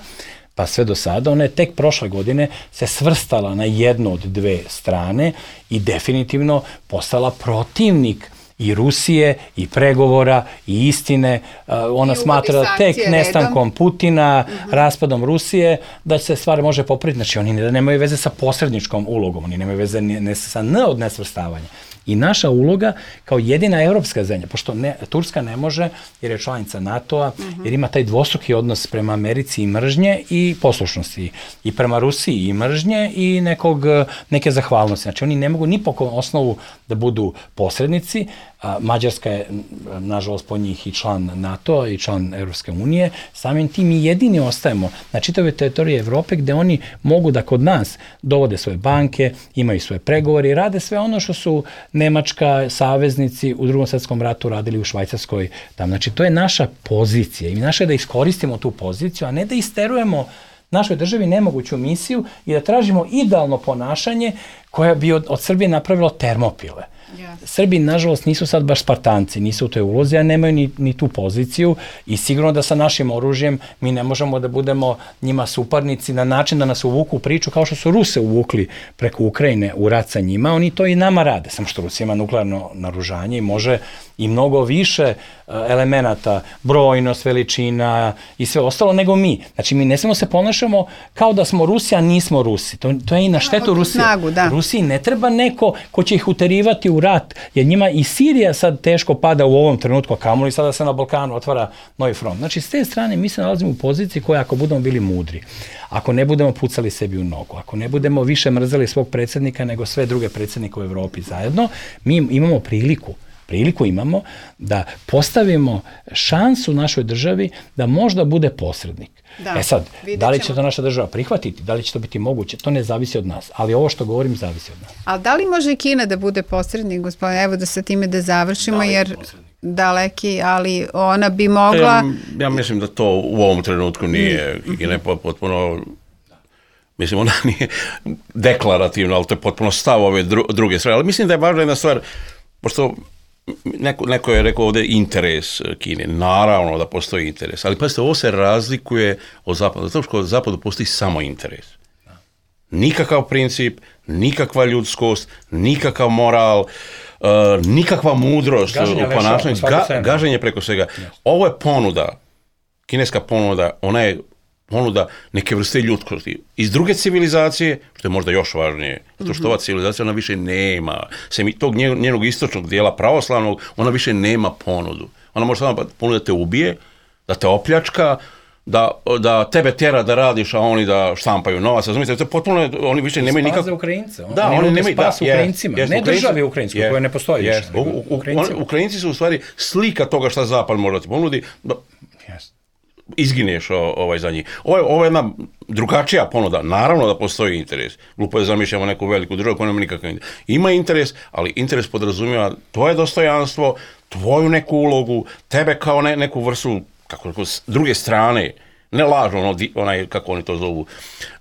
pa sve do sada, ona je tek prošle godine se svrstala na jednu od dve strane i definitivno postala protivnik i Rusije, i pregovora, i istine. Ona I smatra da tek nestankom Putina, uh-huh. raspadom Rusije, da se stvar može popraviti. Znači, oni ne, nemaju veze sa posredničkom ulogom, oni nemaju veze ne, ne, sa N od nesvrstavanja. I naša uloga kao jedina evropska zemlja, pošto ne, Turska ne može, jer je članica NATO-a, uh-huh. jer ima taj dvostruki odnos prema Americi i mržnje i poslušnosti, i prema Rusiji i mržnje i nekog, neke zahvalnosti. Znači, oni ne mogu ni po osnovu da budu posrednici. A Mađarska je, nažalost, po njih i član NATO-a i član Evropske unije. Samim tim mi jedini ostajemo na čitavoj teritoriji Evrope gde oni mogu da kod nas dovode svoje banke, imaju svoje pregovore i rade sve ono što su Nemačka, saveznici u Drugom svetskom ratu radili u Švajcarskoj. Tam. Znači, to je naša pozicija i naše je da iskoristimo tu poziciju, a ne da isterujemo našoj državi nemoguću misiju i da tražimo idealno ponašanje koja bi od, od Srbije napravilo Termopile. Yes. Srbi, nažalost, nisu sad baš Spartanci, nisu u toj ulozi, a nemaju ni, ni tu poziciju i sigurno da sa našim oružjem mi ne možemo da budemo njima suparnici na način da nas uvuku u priču kao što su Ruse uvukli preko Ukrajine u rat sa njima, oni to i nama rade, samo što Rusija ima nuklearno naoružanje i može i mnogo više elemenata, brojnost, veličina i sve ostalo nego mi. Znači, mi ne smemo se ponašamo kao da smo Rusi, a nismo Rusi. To, to je i na štetu Rusije. Snagu, da. Rusiji ne treba neko ko će ih uterivati u u rat, jer njima i Sirija sad teško pada u ovom trenutku, a kamoli sada se na Balkanu otvara novi front. Znači, s te strane mi se nalazimo u poziciji koja, ako budemo bili mudri, ako ne budemo pucali sebi u nogu, ako ne budemo više mrzeli svog predsjednika nego sve druge predsjednike u Evropi zajedno, mi imamo priliku priliku imamo da postavimo šansu našoj državi da možda bude posrednik. Da, e sad, da li će to naša država prihvatiti, da li će to biti moguće, to ne zavisi od nas, ali ovo što govorim zavisi od nas. Ali da li može i Kina da bude posrednik, gospodine, evo da sa time da završimo, daleki jer posrednik. Daleki, ali ona bi mogla... Ja, ja mislim da to u ovom trenutku nije, mm. Kina je potpuno... Mislim, ona nije deklarativna, ali to je potpuno stav ove dru, druge strane. Ali mislim da je važna jedna stvar, pošto neko, neko je rekao ovdje interes Kine. Naravno da postoji interes, ali pazite, ovo se razlikuje od Zapada, zato što od Zapada postoji samo interes. Nikakav princip, nikakva ljudskost, nikakav moral, uh, nikakva mudrost u ponašanju, ga, gaženje preko svega. Yes. Ovo je ponuda, kineska ponuda, ona je ponuda neke vrste ljudskosti. Iz druge civilizacije, što je možda još važnije, zato što ova civilizacija ona više nema, sem tog njenog istočnog dijela pravoslavnog, ona više nema ponudu. Ona može samo ponuda da te ubije, da te opljačka, da, da tebe tjera da radiš, a oni da štampaju novac. Razumite, to je potpuno, oni više nemaju nikak... Spaze Ukrajince. On, da, oni nemaju... Spas da, Ukrajincima, yes, ne Ukrajinci, državi Ukrajinskoj, yes, koja ne postoji yes, više. U, u, u, Ukrajinci su u stvari slika toga šta Zapad može da ti ponudi. Da, yes. Izgineš o, ovaj za njih. Ovo je, ovo je jedna drugačija ponuda. Naravno da postoji interes. Glupo je zamišljamo neku veliku državu koja nema nikakav interes. Ima interes, ali interes podrazumijeva tvoje dostojanstvo, tvoju neku ulogu, tebe kao ne, neku vrstu, kako neko, druge strane. Ne lažno, ono, onaj, kako oni to zovu,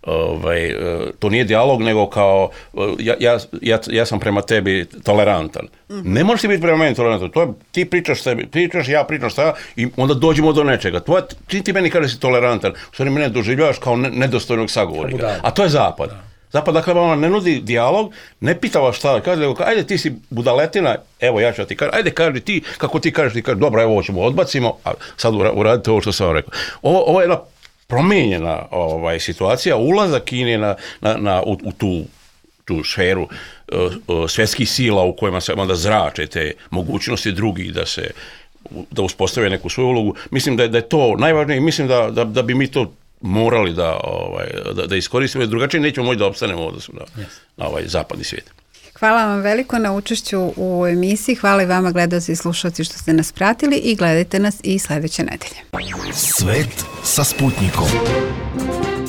ovaj, to nije dijalog, nego kao, ja, ja, ja, ja sam prema tebi tolerantan. Ne možeš ti biti prema meni tolerantan, to je, ti pričaš sebi, pričaš, ja pričam šta, i onda dođemo do nečega. Tvoje, ti, ti meni kažeš si tolerantan, u stvari mene doživljavaš kao ne, nedostojnog sagovornika. A to je Zapad. Zapad, dakle, ona ne nudi dijalog, ne pita vas šta, kaže, nego, ajde ti si budaletina, evo ja ću ti kažem, ajde kaži ti, kako ti kažeš, ti kažeš, dobro, evo ovo ćemo odbacimo, a sad uradite ovo što sam vam rekao. Ovo, ovo je jedna promijenjena ovaj, situacija, ulazak Kine na, na, na, u, u tu, tu sferu uh, uh, svjetskih sila u kojima se onda zrače te mogućnosti drugih da se, da uspostave neku svoju ulogu. Mislim da je, da je to najvažnije i mislim da, da, da bi mi to morali da, ovaj, da, da iskoristimo, drugačije nećemo moći da opstanemo u odnosu na, yes. na ovaj zapadni svijet. Hvala vam veliko na učešću u emisiji, hvala i vama gledaoci i slušalci što ste nas pratili i gledajte nas i sljedeće nedelje. Svet sa Sputnikom.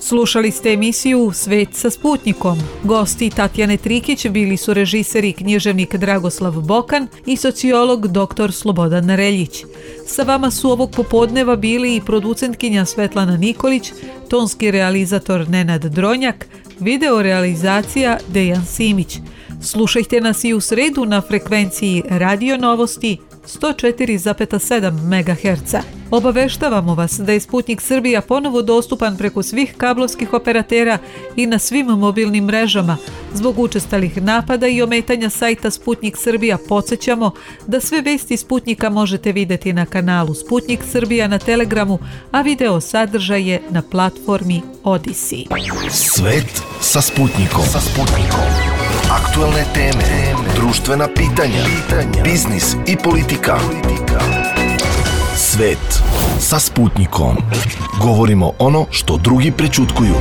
Slušali ste emisiju Svet sa Sputnikom. Gosti Tatjane Trikić bili su režiser i književnik Dragoslav Bokan i sociolog doktor Slobodan Reljić. Sa vama su ovog popodneva bili i producentkinja Svetlana Nikolić, tonski realizator Nenad Dronjak, video realizacija Dejan Simić. Slušajte nas i u sredu na frekvenciji Radio Novosti sto četiri zarez sedam megaherca. Obaveštavamo vas da je Sputnik Srbija ponovo dostupan preko svih kablovskih operatera i na svim mobilnim mrežama. Zbog učestalih napada i ometanja sajta Sputnik Srbija podsjećamo da sve vesti Sputnika možete vidjeti na kanalu Sputnik Srbija na Telegramu, a video sadržaje na platformi Odisi. Svet sa Sputnikom. Sa Sputnikom. Aktualne teme, društvena pitanja, biznis i politika. Svet sa Sputnikom. Govorimo ono što drugi prećutkuju.